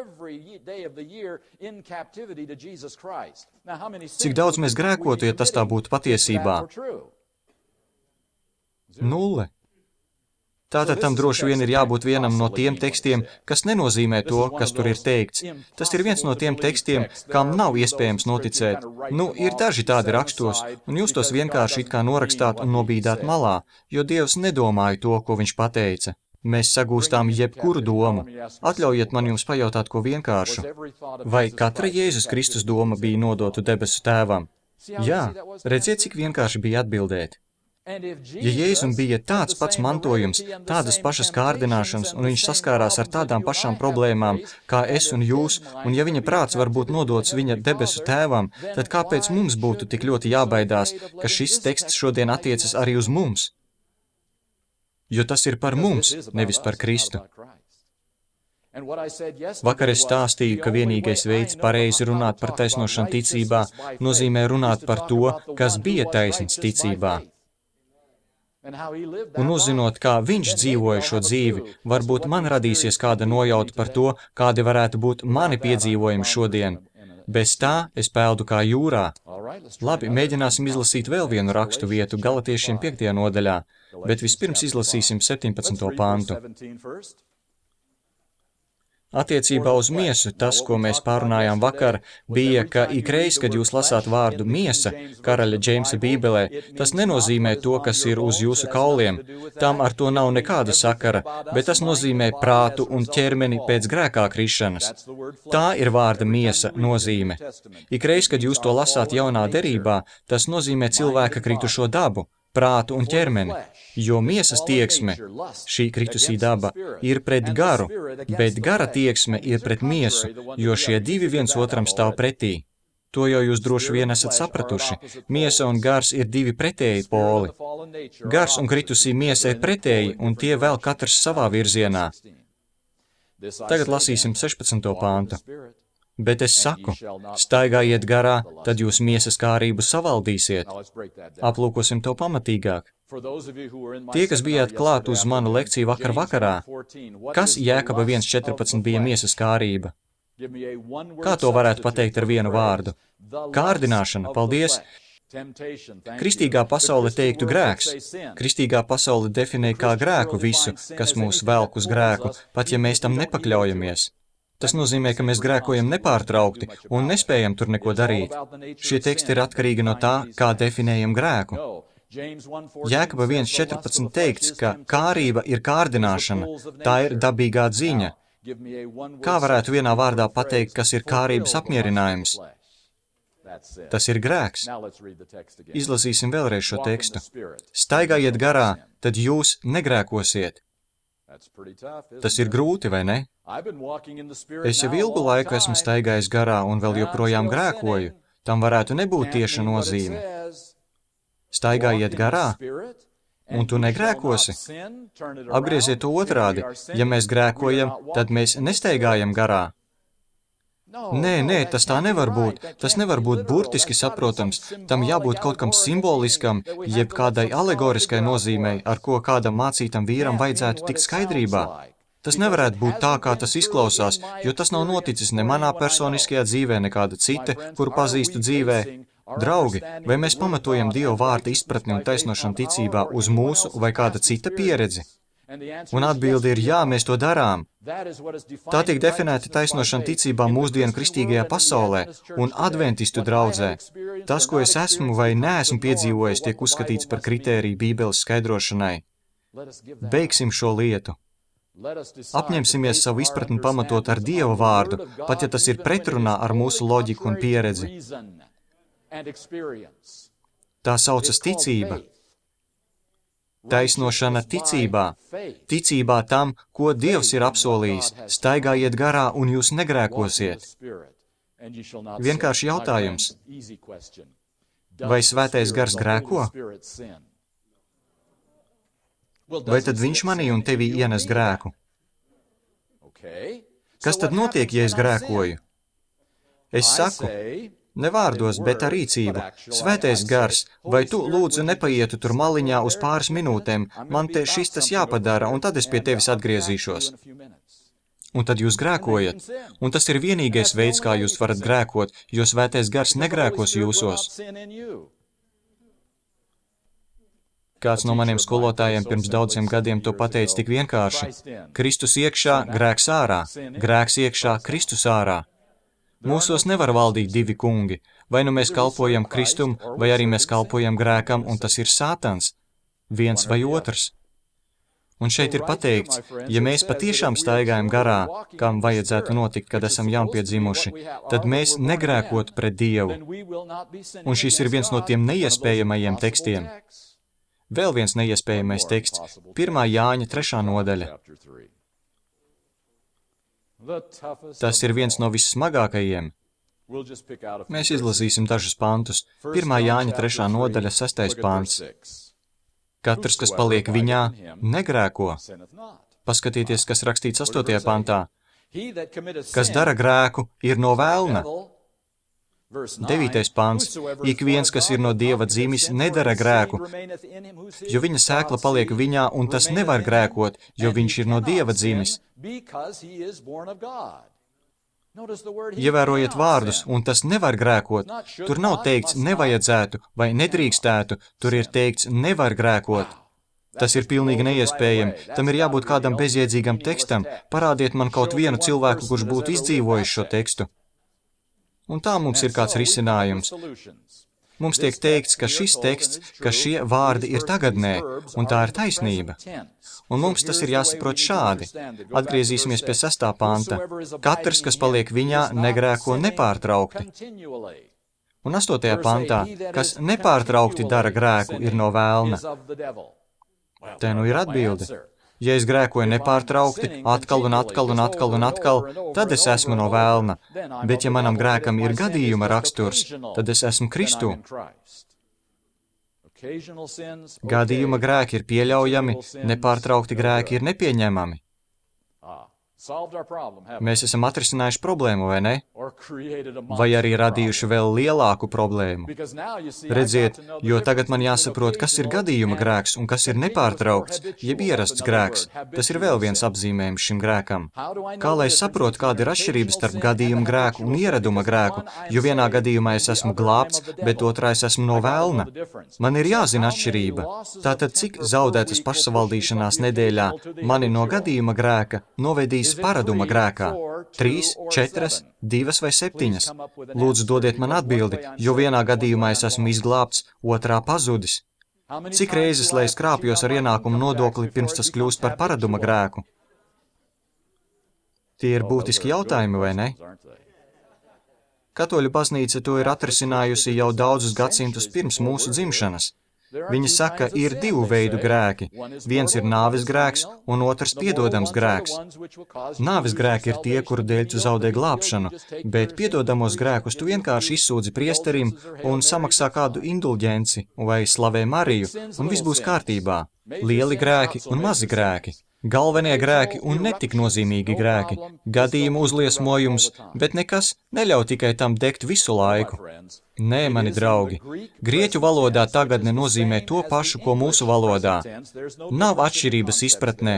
Cik daudz mēs grēkotu, ja tas tā būtu patiesībā? 0. Tātad tam droši vien ir jābūt vienam no tiem tekstiem, kas nenozīmē to, kas tur ir teikts. Tas ir viens no tiem tekstiem, kam nav iespējams noticēt. Ir daži tādi rakstos, un jūs tos vienkārši it kā norakstāt un nobīdāt malā, jo Dievs nedomāja to, ko viņš pateica. Mēs sagūstām jebkuru domu. Atļaujiet man jums pajautāt ko vienkāršu. Vai katra Jēzus Kristus doma bija nodotu debesu tēvam? Jā, redziet, cik vienkārši bija atbildēt. Ja Jēzum bija tāds pats mantojums, tādas pašas kārdināšanas, un viņš saskārās ar tādām pašām problēmām, kā es un jūs, un ja viņa prāts var būt nodots viņa debesu tēvam, tad kāpēc mums būtu tik ļoti jābaidās, ka šis teksts šodien attiecas arī uz mums? Jo tas ir par mums, nevis par Kristu. Vakar es stāstīju, ka vienīgais veids pareizi runāt par taisnošanu ticībā nozīmē runāt par to, kas bija taisns ticībā. Un uzzinot, kā viņš dzīvoja šo dzīvi, varbūt man radīsies kāda nojauta par to, kādi varētu būt mani piedzīvojumi šodien. Bez tā es peldu kā jūrā. Labi, mēģināsim izlasīt vēl vienu rakstu vietu Galatiešiem 5. nodaļā, bet vispirms izlasīsim 17. pantu. Attiecībā uz miesu, tas, ko mēs pārunājām vakar, bija, ka ikreiz, kad jūs lasāt vārdu miesa, karaļa Džeimsa bībelē, tas nenozīmē to, kas ir uz jūsu kauliem. Tam ar to nav nekāda sakara, bet tas nozīmē prātu un ķermeni pēc grēkā krišanas. Tā ir vārda miesa nozīme. Ikreiz, kad jūs to lasāt jaunā derībā, tas nozīmē cilvēka kritušo dabu, prātu un ķermeni, jo miesas tieksme, šī kritusī daba, ir pret garu, bet gara tieksme ir pret miesu, jo šie divi viens otram stāv pretī. To jau jūs droši vien esat sapratuši. Miesa un gars ir divi pretēji poli. Gars un kritusī miesa ir pretēji, un tie vēl katrs savā virzienā. Tagad lasīsim 16. pāntu. Bet es saku, staigājiet garā, tad jūs miesas kārību savaldīsiet. Aplūkosim to pamatīgāk. Tie, kas bijāt klāt uz manu lekciju vakarā, kas Jēkaba 1.14 bija miesas kārība? Kā to varētu pateikt ar vienu vārdu? Kārdināšana, paldies! Kristīgā pasaule teiktu grēks. Kristīgā pasaule definē kā grēku visu, kas mūs velk uz grēku, pat ja mēs tam nepakļaujamies. Tas nozīmē, ka mēs grēkojam nepārtraukti un nespējam tur neko darīt. Šie teksti ir atkarīgi no tā, kā definējam grēku. Jēkaba 1.14 teikts, ka kārība ir kārdināšana, tā ir dabīgā ziņa. Kā varētu vienā vārdā pateikt, kas ir kārības apmierinājums? Tas ir grēks. Izlasīsim vēlreiz šo tekstu. Staigājiet garā, tad jūs negrēkosiet. Tas ir grūti, vai ne? Es jau ilgu laiku esmu staigājis garā un vēl joprojām grēkoju. Tam varētu nebūt tieša nozīme. Staigājiet garā, un tu negrēkosi. Apgrieziet to otrādi. Ja mēs grēkojam, tad mēs nestaigājam garā. Nē, tas tā nevar būt. Tas nevar būt burtiski saprotams. Tam jābūt kaut kam simboliskam, jeb kādai alegoriskai nozīmei, ar ko kādam mācītam vīram vajadzētu tikt skaidrībā. Tas nevarētu būt tā, kā tas izklausās, jo tas nav noticis ne manā personiskajā dzīvē, nekāda cita, kuru pazīstu dzīvē. Draugi, vai mēs pamatojam Dieva vārda izpratni un taisnošanu ticībā uz mūsu vai kāda cita pieredzi? Un atbilde ir jā, mēs to darām. Tā tiek definēta taisnošana ticībā mūsdienu kristīgajā pasaulē un adventistu draudzē. Tas, ko es esmu vai neesmu piedzīvojis, tiek uzskatīts par kritēriju Bībeles skaidrošanai. Beigsim šo lietu. Apņemsimies savu izpratni pamatot ar Dieva vārdu, pat ja tas ir pretrunā ar mūsu loģiku un pieredzi. Tā saucas ticība. Taisnošana ticībā. Ticībā tam, ko Dievs ir apsolījis. Staigājiet garā un jūs negrēkosiet. Vienkārši jautājums. Vai svētais gars grēko? Vai tad viņš manī un tevī ienes grēku? Kas tad notiek, ja es grēkoju? Es saku, ne vārdos, bet ar rīcību. Svētais gars, vai tu lūdzu nepaietu tur maliņā uz pāris minūtēm, man te šis tas jāpadara, un tad es pie tevis atgriezīšos. Un tad jūs grēkojat, un tas ir vienīgais veids, kā jūs varat grēkot, jo svētais gars negrēkos jūsos. Kāds no maniem skolotājiem pirms daudziem gadiem to pateica tik vienkārši. Kristus iekšā, grēks ārā, grēks iekšā, Kristus ārā. Mūsos nevar valdīt divi kungi, vai nu mēs kalpojam Kristum, vai arī mēs kalpojam grēkam, un tas ir Sātans, viens vai otrs. Un šeit ir pateikts, ja mēs patiešām staigājam garā, kam vajadzētu notikt, kad esam jaunpiedzimuši, tad mēs negrēkot pret Dievu. Un šis ir viens no tiem neiespējamajiem tekstiem. Vēl viens neiespējamais teksts, 1. Jāņa 3. nodaļa. Tas ir viens no vissmagākajiem. Mēs izlasīsim dažus pantus. 1. Jāņa 3. nodaļa, 6. pants. Katrs, kas paliek viņā, negrēko. Paskatieties, kas rakstīts 8. pantā. Kas dara grēku, ir no vēlna. 9. pants. Ik viens, kas ir no Dieva dzimis, nedara grēku, jo viņa sēkla paliek viņā, un tas nevar grēkot, jo viņš ir no Dieva dzimis. Ievērojiet vārdus, un tas nevar grēkot. Tur nav teikts nevajadzētu vai nedrīkstētu, tur ir teikts nevar grēkot. Tas ir pilnīgi neiespējami. Tam ir jābūt kādam bezjēdzīgam tekstam. Parādiet man kaut vienu cilvēku, kurš būtu izdzīvojis šo tekstu. Un tā mums ir kāds risinājums. Mums tiek teikts, ka šis teksts, ka šie vārdi ir tagadnē, un tā ir taisnība. Un mums tas ir jāsaprot šādi. Atgriezīsimies pie 6. panta. Katrs, kas paliek viņā, negrēko nepārtraukti. Un 8. pantā, kas nepārtraukti dara grēku, ir no vēlna. Te nu ir atbilde. Ja es grēkoju nepārtraukti, atkal un atkal un atkal un atkal, tad es esmu no vēlna. Bet ja manam grēkam ir gadījuma raksturs, tad es esmu Kristū. Gadījuma grēki ir pieļaujami, nepārtraukti grēki ir nepieņemami. Mēs esam atrisinājuši problēmu, vai ne? Vai arī radījuši vēl lielāku problēmu? Redziet, jo tagad man jāsaprot, kas ir gadījuma grēks un kas ir nepārtraukts, jeb ierasts grēks. Tas ir vēl viens apzīmējums šim grēkam. Kā lai saprotu, kāda ir atšķirība starp gadījuma grēku un ieraduma grēku, jo vienā gadījumā es esmu glābts, bet otrā es esmu no vēlna? Man ir jāzina atšķirība. Tātad, cik zaudētas pašsavaldīšanās nedēļā mani no gadījuma grēka novedīs paraduma grēkā? 3, 4, 2 vai 7? Lūdzu, dodiet man atbildi, jo vienā gadījumā es esmu izglābts, otrā pazudis. Cik reizes, lai es krāpjos ar ienākumu nodokli, pirms tas kļūst par paraduma grēku? Tie ir būtiski jautājumi, vai ne? Katoļu baznīca to ir atrisinājusi jau daudzus gadsimtus pirms mūsu dzimšanas. Viņi saka, ir 2 veidu grēki. Viens ir nāves grēks, un otrs piedodams grēks. Nāves grēki ir tie, kuru dēļ tu zaudē glābšanu, bet piedodamos grēkus tu vienkārši izsūdzi priesterim un samaksā kādu indulģenci vai slavē Mariju, un viss būs kārtībā. Lieli grēki un mazi grēki. Galvenie grēki un netik nozīmīgi grēki. Gadījumu uzliesmojums, bet nekas neļauj tikai tam degt visu laiku. Nē, mani draugi, grieķu valodā tagadne nozīmē to pašu, ko mūsu valodā. Nav atšķirības izpratnē.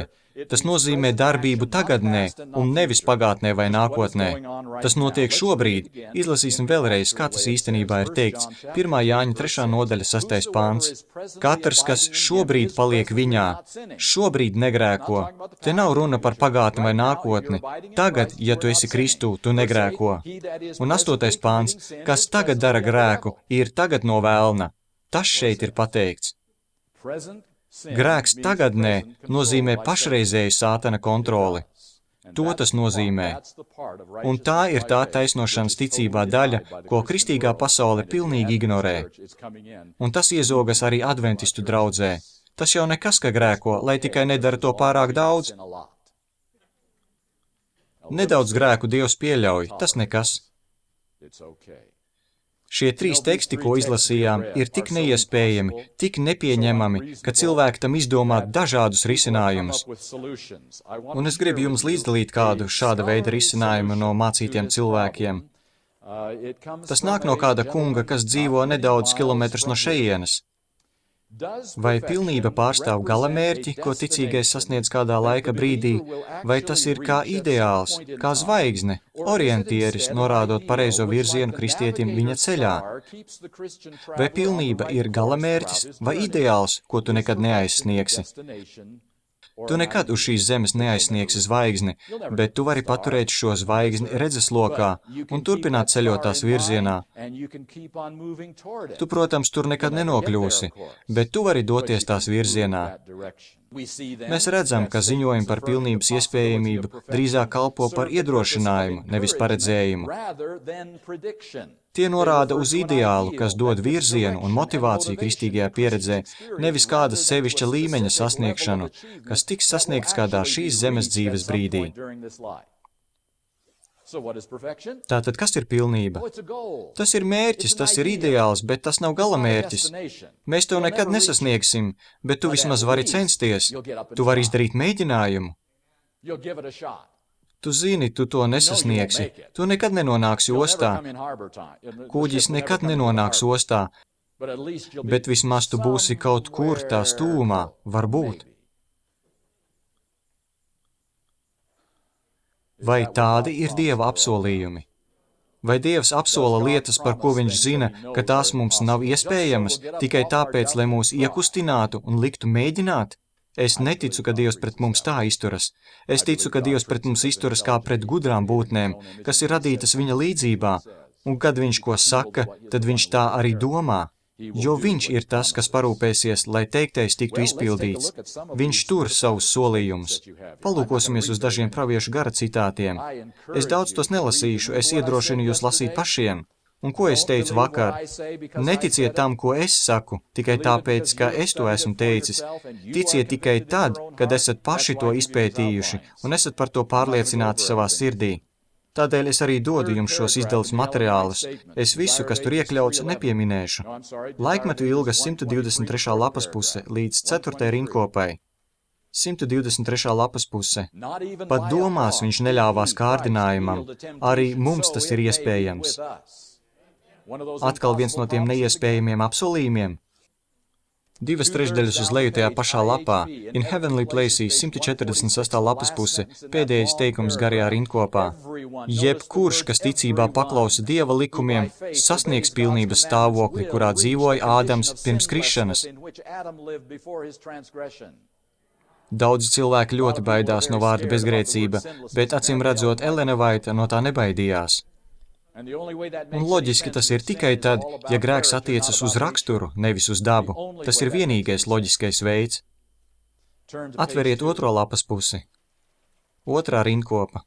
Tas nozīmē darbību tagadnē un nevis pagātnē vai nākotnē. Tas notiek šobrīd. Izlasīsim vēlreiz, kā tas īstenībā ir teikts. 1. Jāņa 3. nodaļa 6. pāns. Katrs, kas šobrīd paliek viņā, šobrīd negrēko. Te nav runa par pagātni vai nākotni. Tagad, ja tu esi Kristū, tu negrēko. Un 8. pāns, kas tagad dara grēku, ir tagad no vēlna. Tas šeit ir pateikts. Grēks tagadnē nozīmē pašreizēju sātana kontroli. To tas nozīmē. Un tā ir tā taisnošanas ticībā daļa, ko kristīgā pasaule pilnīgi ignorē. Un tas iezogas arī adventistu draudzē. Tas jau nekas, ka grēko, lai tikai nedara to pārāk daudz. Nedaudz grēku Dievs pieļauj, tas nekas. Šie 3 teksti, ko izlasījām, ir tik neiespējami, tik nepieņemami, ka cilvēki tam izdomā dažādus risinājumus. Un es gribu jums līdzdalīt kādu šāda veida risinājumu no mācītiem cilvēkiem. Tas nāk no kāda kunga, kas dzīvo nedaudz kilometrus no šejienes. Vai pilnība pārstāv galamērķi, ko ticīgais sasniedz kādā laika brīdī, vai tas ir kā ideāls, kā zvaigzne, orientieris, norādot pareizo virzienu kristietim viņa ceļā? Vai pilnība ir galamērķis vai ideāls, ko tu nekad neaizsniegsi? Tu nekad uz šīs zemes neaizsniegsi zvaigzni, bet tu vari paturēt šo zvaigzni redzeslokā un turpināt ceļot tās virzienā. Tu, protams, tur nekad nenokļūsi, bet tu vari doties tās virzienā. Mēs redzam, ka ziņojumi par pilnības iespējamību drīzāk kalpo par iedrošinājumu, nevis paredzējumu. Tie norāda uz ideālu, kas dod virzienu un motivāciju kristīgajā pieredzē, nevis kāda sevišķa līmeņa sasniegšanu, kas tiks sasniegts kādā šīs zemes dzīves brīdī. Tātad, kas ir pilnība? Tas ir mērķis, tas ir ideāls, bet tas nav galamērķis. Mēs to nekad nesasniegsim, bet tu vismaz vari censties. Tu vari izdarīt mēģinājumu. Tu zini, tu to nesasniegsi. Tu nekad nenonāksi ostā. Kuģis nekad nenonāks ostā, bet vismaz tu būsi kaut kur tā stūmā, varbūt. Vai tādi ir Dieva apsolījumi? Vai Dievs apsola lietas, par ko viņš zina, ka tās mums nav iespējamas, tikai tāpēc, lai mūs iekustinātu un liktu mēģināt? Es neticu, ka Dievs pret mums tā izturas. Es ticu, ka Dievs pret mums izturas kā pret gudrām būtnēm, kas ir radītas viņa līdzībā, un kad viņš ko saka, tad viņš tā arī domā, jo viņš ir tas, kas parūpēsies, lai teiktais tiktu izpildīts. Viņš tur savus solījumus. Palūkosimies uz dažiem praviešu gara citātiem. Es daudz tos nelasīšu, es iedrošinu jūs lasīt pašiem. Un ko es teicu vakar? Neticiet tam, ko es saku, tikai tāpēc, ka es to esmu teicis. Ticiet tikai tad, kad esat paši to izpētījuši un esat par to pārliecināti savā sirdī. Tādēļ es arī dodu jums šos izdalus materiālus. Es visu, kas tur iekļauts, nepieminēšu. Laikmetu ilgas 123. lapas puse līdz 4. rindkopai. 123. lapas puse. Pat domās viņš neļāvās kārdinājumam. Arī mums tas ir iespējams. Atkal viens no tiem neiespējamiem apsolījumiem. 2/3 uz leju tajā pašā lapā. In Heavenly Places, 146. lapas puse, pēdējais teikums garajā rindkopā. Jebkurš, kas ticībā paklausa Dieva likumiem, sasniegs pilnības stāvokli, kurā dzīvoja Ādams pirms krišanas. Daudzi cilvēki ļoti baidās no vārda bezgrēcība, bet acīm redzot, Elena Vaita no tā nebaidījās. Un loģiski tas ir tikai tad, ja grēks attiecas uz raksturu, nevis uz dabu. Tas ir vienīgais loģiskais veids. Atveriet 2. lapas pusi. 2. rindkopa.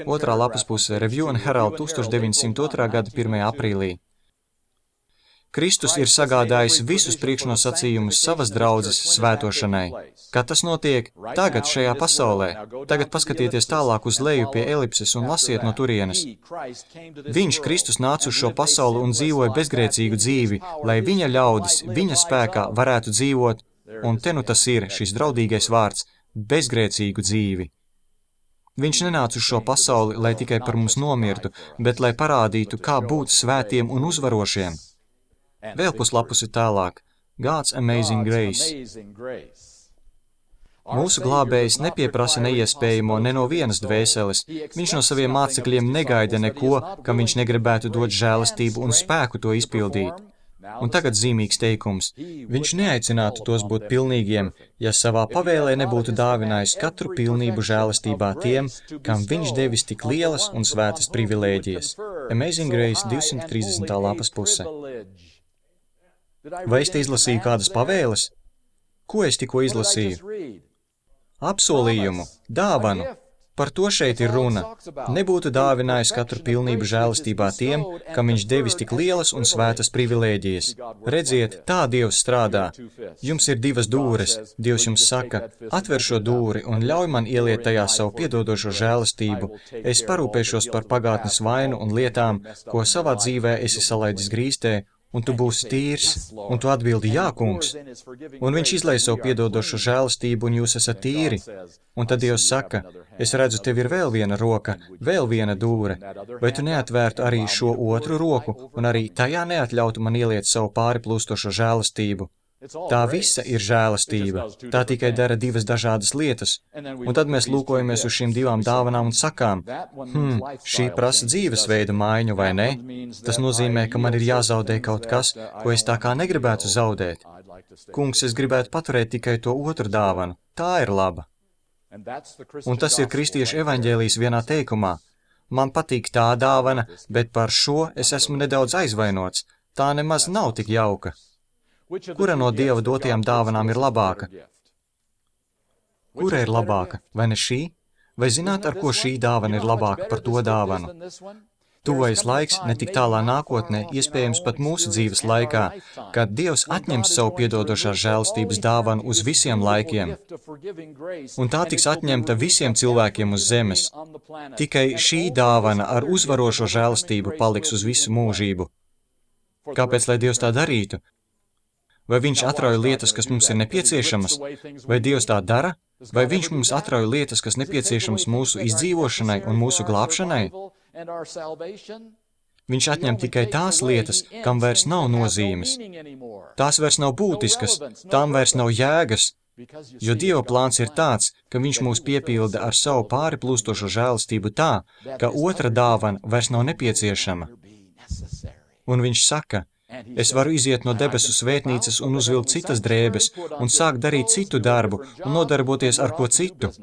2. lapas puse, Review and Herald 1902. gada 1. aprīlī. Kristus ir sagādājis visus priekšnosacījumus savas draudzes svētošanai. Kad tas notiek? Tagad šajā pasaulē. Tagad paskatieties tālāk uz leju pie elipses un lasiet no turienes. Viņš, Kristus, nāca uz šo pasauli un dzīvoja bezgrēcīgu dzīvi, lai viņa ļaudis, viņa spēkā varētu dzīvot, un te nu tas ir, šis draudīgais vārds, bezgrēcīgu dzīvi. Viņš nenāca uz šo pasauli, lai tikai par mums nomirtu, bet lai parādītu, kā būt svētiem un uzvarošiem. Vēl puslapusi tālāk. God's Amazing Grace. Mūsu glābējs nepieprasa neiespējamo ne no vienas dvēseles. Viņš no saviem mācekļiem negaida neko, kam viņš negribētu dot žēlastību un spēku to izpildīt. Un tagad zīmīgs teikums. Viņš neaicinātu tos būt pilnīgiem, ja savā pavēlē nebūtu dāvinājis katru pilnību žēlastībā tiem, kam viņš devis tik lielas un svētas privilēģijas. Amazing Grace 230. lapas puse. Vai es te izlasīju kādas pavēles? Ko es tikko izlasīju? Apsolījumu, dāvanu. Par to šeit ir runa. Nebūtu dāvinājis katru pilnību žēlastībā tiem, kam viņš devis tik lielas un svētas privilēģijas. Redziet, tā Dievs strādā. Jums ir 2 dūres. Dievs jums saka, atver šo dūri un ļauj man ieliet tajā savu piedodošo žēlastību. Es parūpēšos par pagātnes vainu un lietām, ko savā dzīvē esi salaidis grīstē, un tu būsi tīrs, un tu atbildi, jā, kungs. Un viņš izlai savu piedodošu žēlastību, un jūs esat tīri. Un tad Dievs saka, es redzu, tev ir vēl viena roka, vēl viena dūre. Vai tu neatvērtu arī šo otru roku, un arī tajā neatļautu man ieliet savu pāriplūstošo žēlastību? Tā visa ir žēlastība. Tā tikai dara 2 dažādas lietas. Un tad mēs lūkojamies uz šīm 2 dāvanām un sakām, šī prasa dzīvesveida maiņu, vai ne? Tas nozīmē, ka man ir jāzaudē kaut kas, ko es tā kā negribētu zaudēt. Kungs, es gribētu paturēt tikai to otru dāvanu. Tā ir laba. Un tas ir kristiešu evaņģēlijs vienā teikumā. Man patīk tā dāvana, bet par šo es esmu nedaudz aizvainots. Tā nemaz nav tik jauka. Kura no Dieva dotajām dāvanām ir labāka? Kura ir labāka? Vai ne šī? Vai zināt, ar ko šī dāvana ir labāka par to dāvanu? Tuvais laiks, ne tik tālā nākotnē, iespējams pat mūsu dzīves laikā, kad Dievs atņems savu piedodošās žēlastības dāvanu uz visiem laikiem. Un tā tiks atņemta visiem cilvēkiem uz zemes. Tikai šī dāvana ar uzvarošo žēlastību paliks uz visu mūžību. Kāpēc, lai Dievs tā darītu? Vai viņš atrauj lietas, kas mums ir nepieciešamas? Vai Dievs tā dara? Vai viņš mums atrauj lietas, kas nepieciešamas mūsu izdzīvošanai un mūsu glābšanai? Viņš atņem tikai tās lietas, kam vairs nav nozīmes. Tās vairs nav būtiskas, tām vairs nav jēgas, jo Dieva plāns ir tāds, ka viņš mūs piepilda ar savu pāriplūstošo žēlastību tā, ka otra dāvana vairs nav nepieciešama. Un viņš saka, Es varu iziet no debesu svētnīcas un uzvilkt citas drēbes, un sākt darīt citu darbu, un nodarboties ar ko citu.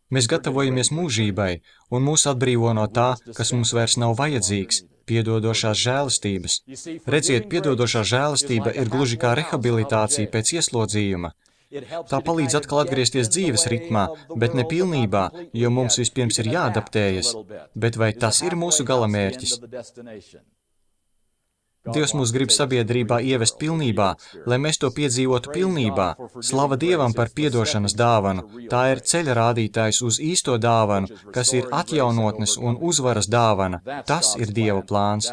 Mēs gatavojamies mūžībai, un mūs atbrīvo no tā, kas mums vairs nav vajadzīgs, piedodošās žēlastības. Redziet, piedodošā žēlastība ir gluži kā rehabilitācija pēc ieslodzījuma. Tā palīdz atkal atgriezties dzīves ritmā, bet ne pilnībā, jo mums vispirms ir jāadaptējas. Bet vai tas ir mūsu galamērķis? Dievs mūs grib sabiedrībā ievest pilnībā, lai mēs to piedzīvotu pilnībā. Slava Dievam par piedošanas dāvanu. Tā ir ceļa rādītājs uz īsto dāvanu, kas ir atjaunotnes un uzvaras dāvana. Tas ir Dieva plāns.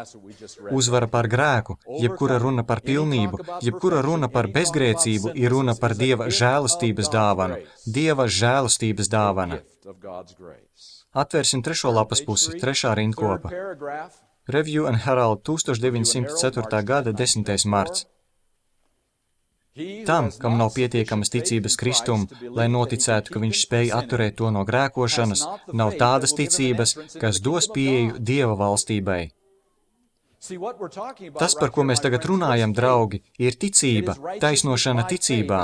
Uzvara par grēku, jebkura runa par pilnību, jebkura runa par bezgrēcību ir runa par Dieva žēlastības dāvanu. Dieva žēlastības dāvana. Atvērsim 3. lapas pusi, 3. rindkopa. Review and Herald 1904. gada 10. marts. Tam, kam nav pietiekamas ticības Kristum, lai noticētu, ka viņš spēj atturēt to no grēkošanas, nav tādas ticības, kas dos pieeju Dieva valstībai. Tas, par ko mēs tagad runājam, draugi, ir ticība, taisnošana ticībā.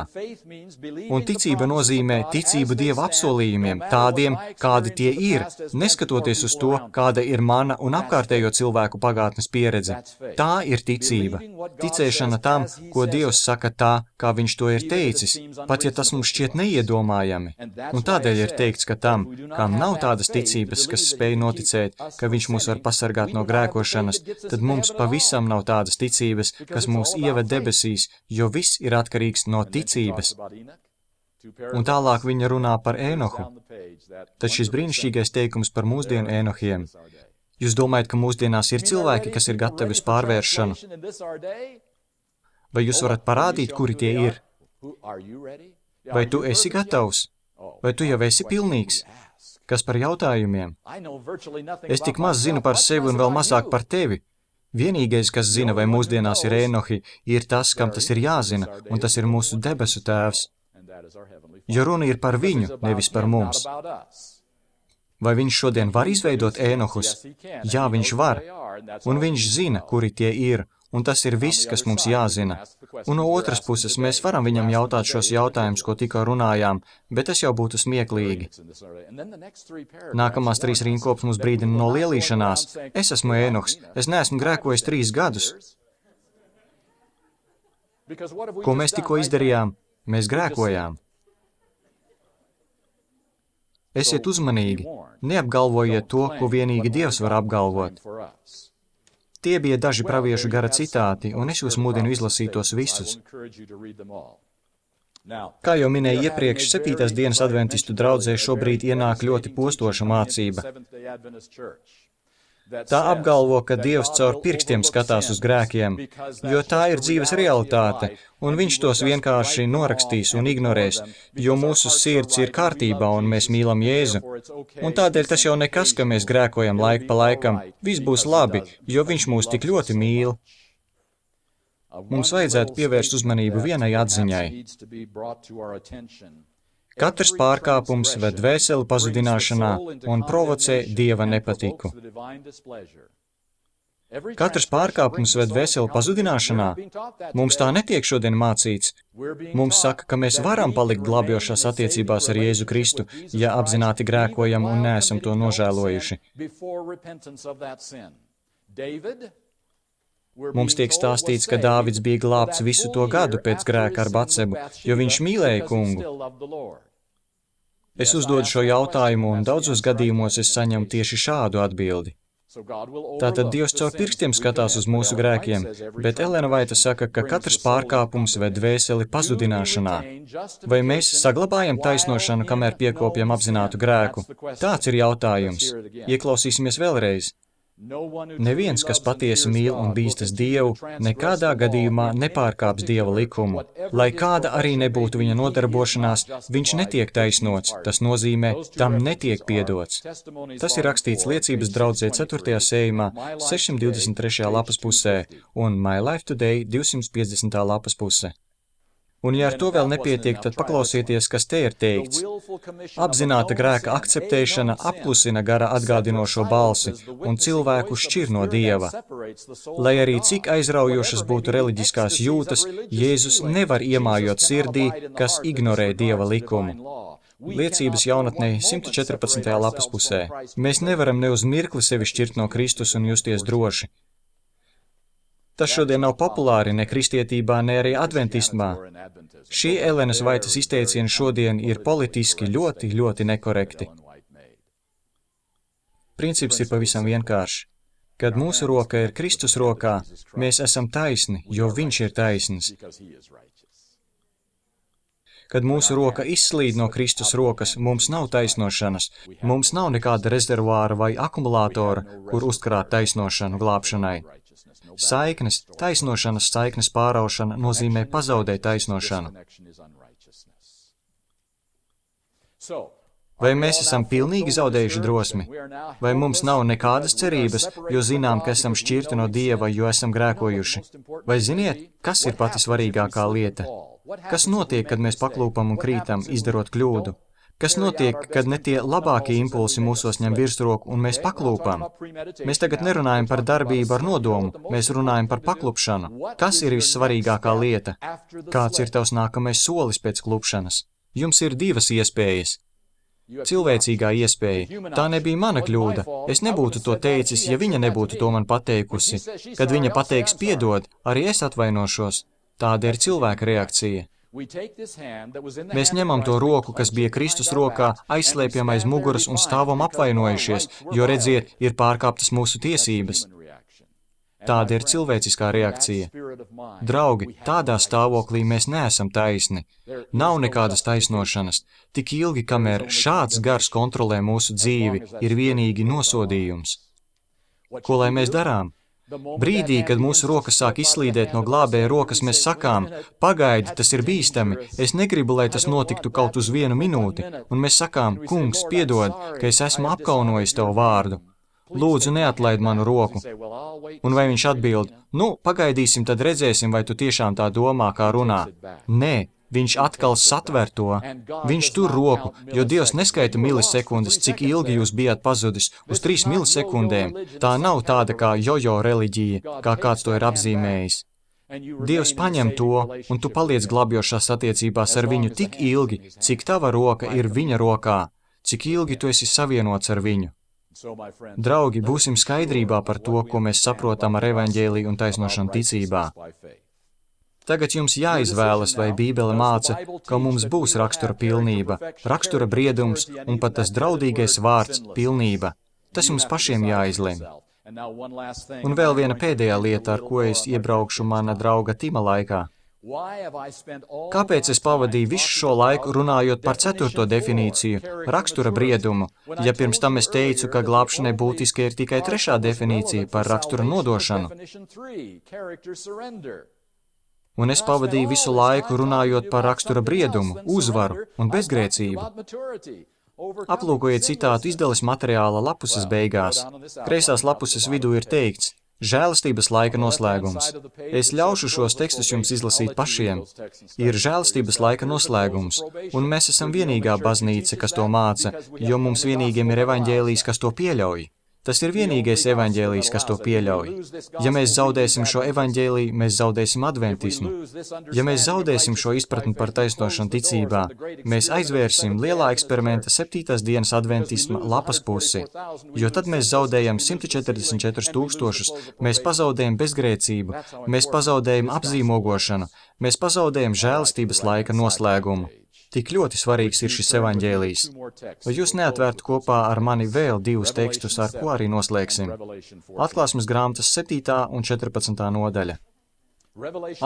Un ticība nozīmē ticību Dieva apsolījumiem, tādiem, kādi tie ir, neskatoties uz to, kāda ir mana un apkārtējo cilvēku pagātnes pieredze. Tā ir ticība. Ticēšana tam, ko Dievs saka tā, kā viņš to ir teicis, pat ja tas mums šķiet neiedomājami. Un tādēļ ir teikts, ka tam, kam nav tādas ticības, kas spēj noticēt, ka viņš mūs var pasargāt no grēkošanas, tad mums pavisam nav tādas ticības, kas mūs ieved debesīs, jo viss ir atkarīgs no ticības. Un tālāk viņa runā par Ēnohu. Tad šis brīnišķīgais teikums par mūsdienu Ēnohiem. Jūs domājat, ka mūsdienās ir cilvēki, kas ir gatavi uz pārvēršanu? Vai jūs varat parādīt, kuri tie ir? Vai tu esi gatavs? Vai tu jau esi pilnīgs? Kas par jautājumiem? Es tik maz zinu par sevi un vēl mazāk par tevi. Vienīgais, kas zina, vai mūsdienās ir Ēnohi, ir tas, kam tas ir jāzina, un tas ir mūsu debesu tēvs. Jo runa ir par viņu, nevis par mums. Vai viņš šodien var izveidot Ēnohus? Jā, viņš var, un viņš zina, kuri tie ir, un tas ir viss, kas mums jāzina. Un no otras puses, mēs varam viņam jautāt šos jautājumus, ko tikko runājām, bet tas jau būtu smieklīgi. Nākamās 3 rindkopas mums brīdina no lielīšanās. Es esmu Ēnohs, es neesmu grēkojis 3 gadus. Ko mēs tikko izdarījām? Mēs grēkojām. Esiet uzmanīgi, neapgalvojiet to, ko vienīgi Dievs var apgalvot. Tie bija daži praviešu gara citāti, un es jūs mudinu izlasīt tos visus. Kā jau minēju iepriekš, 7. dienas adventistu draudzē šobrīd ienāk ļoti postoša mācība. Tā apgalvo, ka Dievs caur pirkstiem skatās uz grēkiem, jo tā ir dzīves realitāte, un viņš tos vienkārši norakstīs un ignorēs, jo mūsu sirds ir kārtībā un mēs mīlam Jēzu. Un tādēļ tas jau nekas, ka mēs grēkojam laiku pa laikam, viss būs labi, jo viņš mūs tik ļoti mīl. Mums vajadzētu pievērst uzmanību vienai atziņai. Katrs pārkāpums ved dvēseli pazudināšanā un provocē Dieva nepatiku. Katrs pārkāpums ved dvēseli pazudināšanā. Mums tā netiek šodien mācīts. Mums saka, ka mēs varam palikt glābjošās attiecībās ar Jēzu Kristu, ja apzināti grēkojam un neesam to nožēlojuši. Mums tiek stāstīts, ka Dāvids bija glābts visu to gadu pēc grēka ar Batsebu, jo viņš mīlēja kungu. Es uzdodu šo jautājumu, un daudzos gadījumos es saņemu tieši šādu atbildi. Tātad Dievs caur pirkstiem skatās uz mūsu grēkiem, bet Elena Vaita saka, ka katrs pārkāpums ved dvēseli pazudināšanā. Vai mēs saglabājam taisnošanu, kamēr piekopjam apzinātu grēku? Tāds ir jautājums. Ieklausīsimies vēlreiz. Neviens, kas patiesi mīl un bīstas Dievu, nekādā gadījumā nepārkāps Dieva likumu. Lai kāda arī nebūtu viņa nodarbošanās, viņš netiek taisnots, tas nozīmē, tam netiek piedots. Tas ir rakstīts liecības draudzē 4. sējumā, 623. lapas pusē un My Life Today 250. lapas puse. Un ja ar to vēl nepietiek, tad paklausieties, kas te ir teikts. Apzināta grēka akceptēšana apklusina gara atgādinošo balsi un cilvēku šķir no Dieva. Lai arī cik aizraujošas būtu reliģiskās jūtas, Jēzus nevar iemājot sirdī, kas ignorē Dieva likumu. Liecības jaunatnē 114. lapas pusē. Mēs nevaram ne uz mirkli sevi šķirt no Kristus un justies droši. Tas šodien nav populāri ne kristietībā, ne arī adventismā. Šie Elenas Vaitas izteicieni šodien ir politiski ļoti nekorekti. Princips ir pavisam vienkāršs. Kad mūsu roka ir Kristus rokā, mēs esam taisni, jo Viņš ir taisns. Kad mūsu roka izslīd no Kristus rokas, mums nav taisnošanas, mums nav nekāda rezervuāra vai akumulātora, kur uzkrāt taisnošanu glābšanai. Saiknes, taisnošanas saiknes pāraušana nozīmē pazaudēt taisnošanu. Vai mēs esam pilnīgi zaudējuši drosmi? Vai mums nav nekādas cerības, jo zinām, ka esam šķirti no Dieva, jo esam grēkojuši? Vai ziniet, kas ir pati svarīgākā lieta? Kas notiek, kad mēs paklūpam un krītam, izdarot kļūdu? Kas notiek, kad ne tie labākie impulsi mūsos ņem virsroku un mēs paklūpam? Mēs tagad nerunājam par darbību ar nodomu, mēs runājam par paklupšanu. Kas ir vissvarīgākā lieta? Kāds ir tavs nākamais solis pēc klupšanas? Jums ir divas iespējas. Cilvēcīgā iespēja. Tā nebija mana kļūda. Es nebūtu to teicis, ja viņa nebūtu to man pateikusi. Kad viņa pateiks piedod, arī es atvainošos. Tāda ir cilvēka reakcija. Mēs ņemam to roku, kas bija Kristus rokā, aizslēpjam aiz muguras un stāvam apvainojušies, jo, redziet, ir pārkāptas mūsu tiesības. Tāda ir cilvēciskā reakcija. Draugi, tādā stāvoklī mēs neesam taisni. Nav nekādas taisnošanas. Tik ilgi, kamēr šāds gars kontrolē mūsu dzīvi, ir vienīgi nosodījums. Ko lai mēs darām? Brīdī, kad mūsu rokas sāk izslīdēt no glābēja rokas, mēs sakām, pagaidi, tas ir bīstami, es negribu, lai tas notiktu kaut uz 1 minūti, un mēs sakām, kungs, piedod, ka es esmu apkaunojis tavu vārdu. Lūdzu, neatlaid manu roku. Un vai viņš atbild, pagaidīsim, tad redzēsim, vai tu tiešām tā domā, kā runā. Nē. Viņš atkal satver to. Viņš tur roku, jo Dievs neskaita milisekundes, cik ilgi jūs bijāt pazudis, uz 3 milisekundēm. Tā nav tāda kā jojo reliģija, kā kāds to ir apzīmējis. Dievs paņem to, un tu paliec glābjošās attiecībās ar viņu tik ilgi, cik tava roka ir viņa rokā, cik ilgi tu esi savienots ar viņu. Draugi, būsim skaidrībā par to, ko mēs saprotam ar evaņģēliju un taisnošanu ticībā. Tagad jums jāizvēlas, vai Bībele māca, ka mums būs rakstura pilnība, rakstura briedums un pat tas draudīgais vārds pilnība. Tas jums pašiem jāizlemj. Un vēl viena pēdējā lieta, ar ko es iebraukšu mana drauga Tima laikā. Kāpēc es pavadīju visu šo laiku runājot par 4. definīciju, rakstura briedumu, ja pirms tam es teicu, ka glābšanai būtiski ir tikai 3. definīcija par rakstura nodošanu? Un es pavadīju visu laiku runājot par rakstura briedumu, uzvaru un bezgrēcību. Aplūkojiet citātu izdales materiāla lapuses beigās. Kreisās lapuses vidū ir teikts, žēlastības laika noslēgums. Es ļaušu šos tekstus jums izlasīt pašiem. Ir žēlastības laika noslēgums, un mēs esam vienīgā baznīca, kas to māca, jo mums vienīgiem ir evaņģēlijs, kas to pieļauj. Tas ir vienīgais evaņģēlijs, kas to pieļauj. Ja mēs zaudēsim šo evaņģēliju, mēs zaudēsim adventismu. Ja mēs zaudēsim šo izpratni par taisnošanu ticībā, mēs aizvērsim lielā eksperimenta 7. dienas adventisma lapas pusi, jo tad mēs zaudējam 144 000, mēs pazaudējam bezgrēcību, mēs pazaudējam apzīmogošanu, mēs pazaudējam žēlastības laika noslēgumu. Tik ļoti svarīgs ir šis evaņģēlijs. Vai jūs neatvērtu kopā ar mani vēl 2 tekstus, ar ko arī noslēgsim? Atklāsmes grāmatas 7. un 14. nodaļa.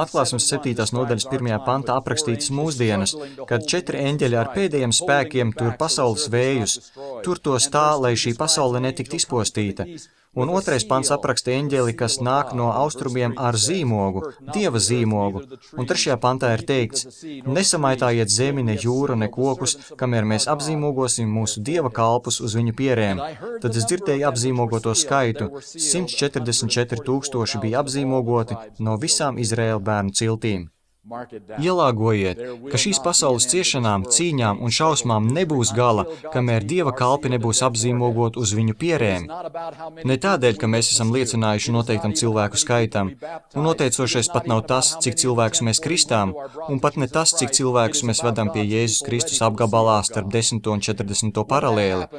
Atklāsmes 7. nodaļas 1. pantā aprakstītas mūsdienas, kad 4 eņģeļi ar pēdējiem spēkiem tur pasaules vējus, tur tos tā, lai šī pasaule netikt izpostīta. Un 2. pants apraksta eņģeli, kas nāk no austrumiem ar zīmogu, Dieva zīmogu. Un 3. pantā ir teikts, nesamaitājiet zemi, ne jūru, ne kokus, kamēr mēs apzīmogosim mūsu Dieva kalpus uz viņu pierēm. Tad es dzirdēju apzīmogoto skaitu, 144 000 bija apzīmogoti no visām Izraēla bērnu ciltīm. Ielāgojiet, ka šīs pasaules ciešanām, cīņām un šausmām nebūs gala, kamēr Dieva kalpi nebūs apzīmogot uz viņu pierēm. Ne tādēļ, ka mēs esam liecinājuši noteiktam cilvēku skaitam, un noteicošais pat nav tas, cik cilvēkus mēs kristām, un pat ne tas, cik cilvēkus mēs vedam pie Jēzus Kristus apgabalā starp 10. un 40. paralēli,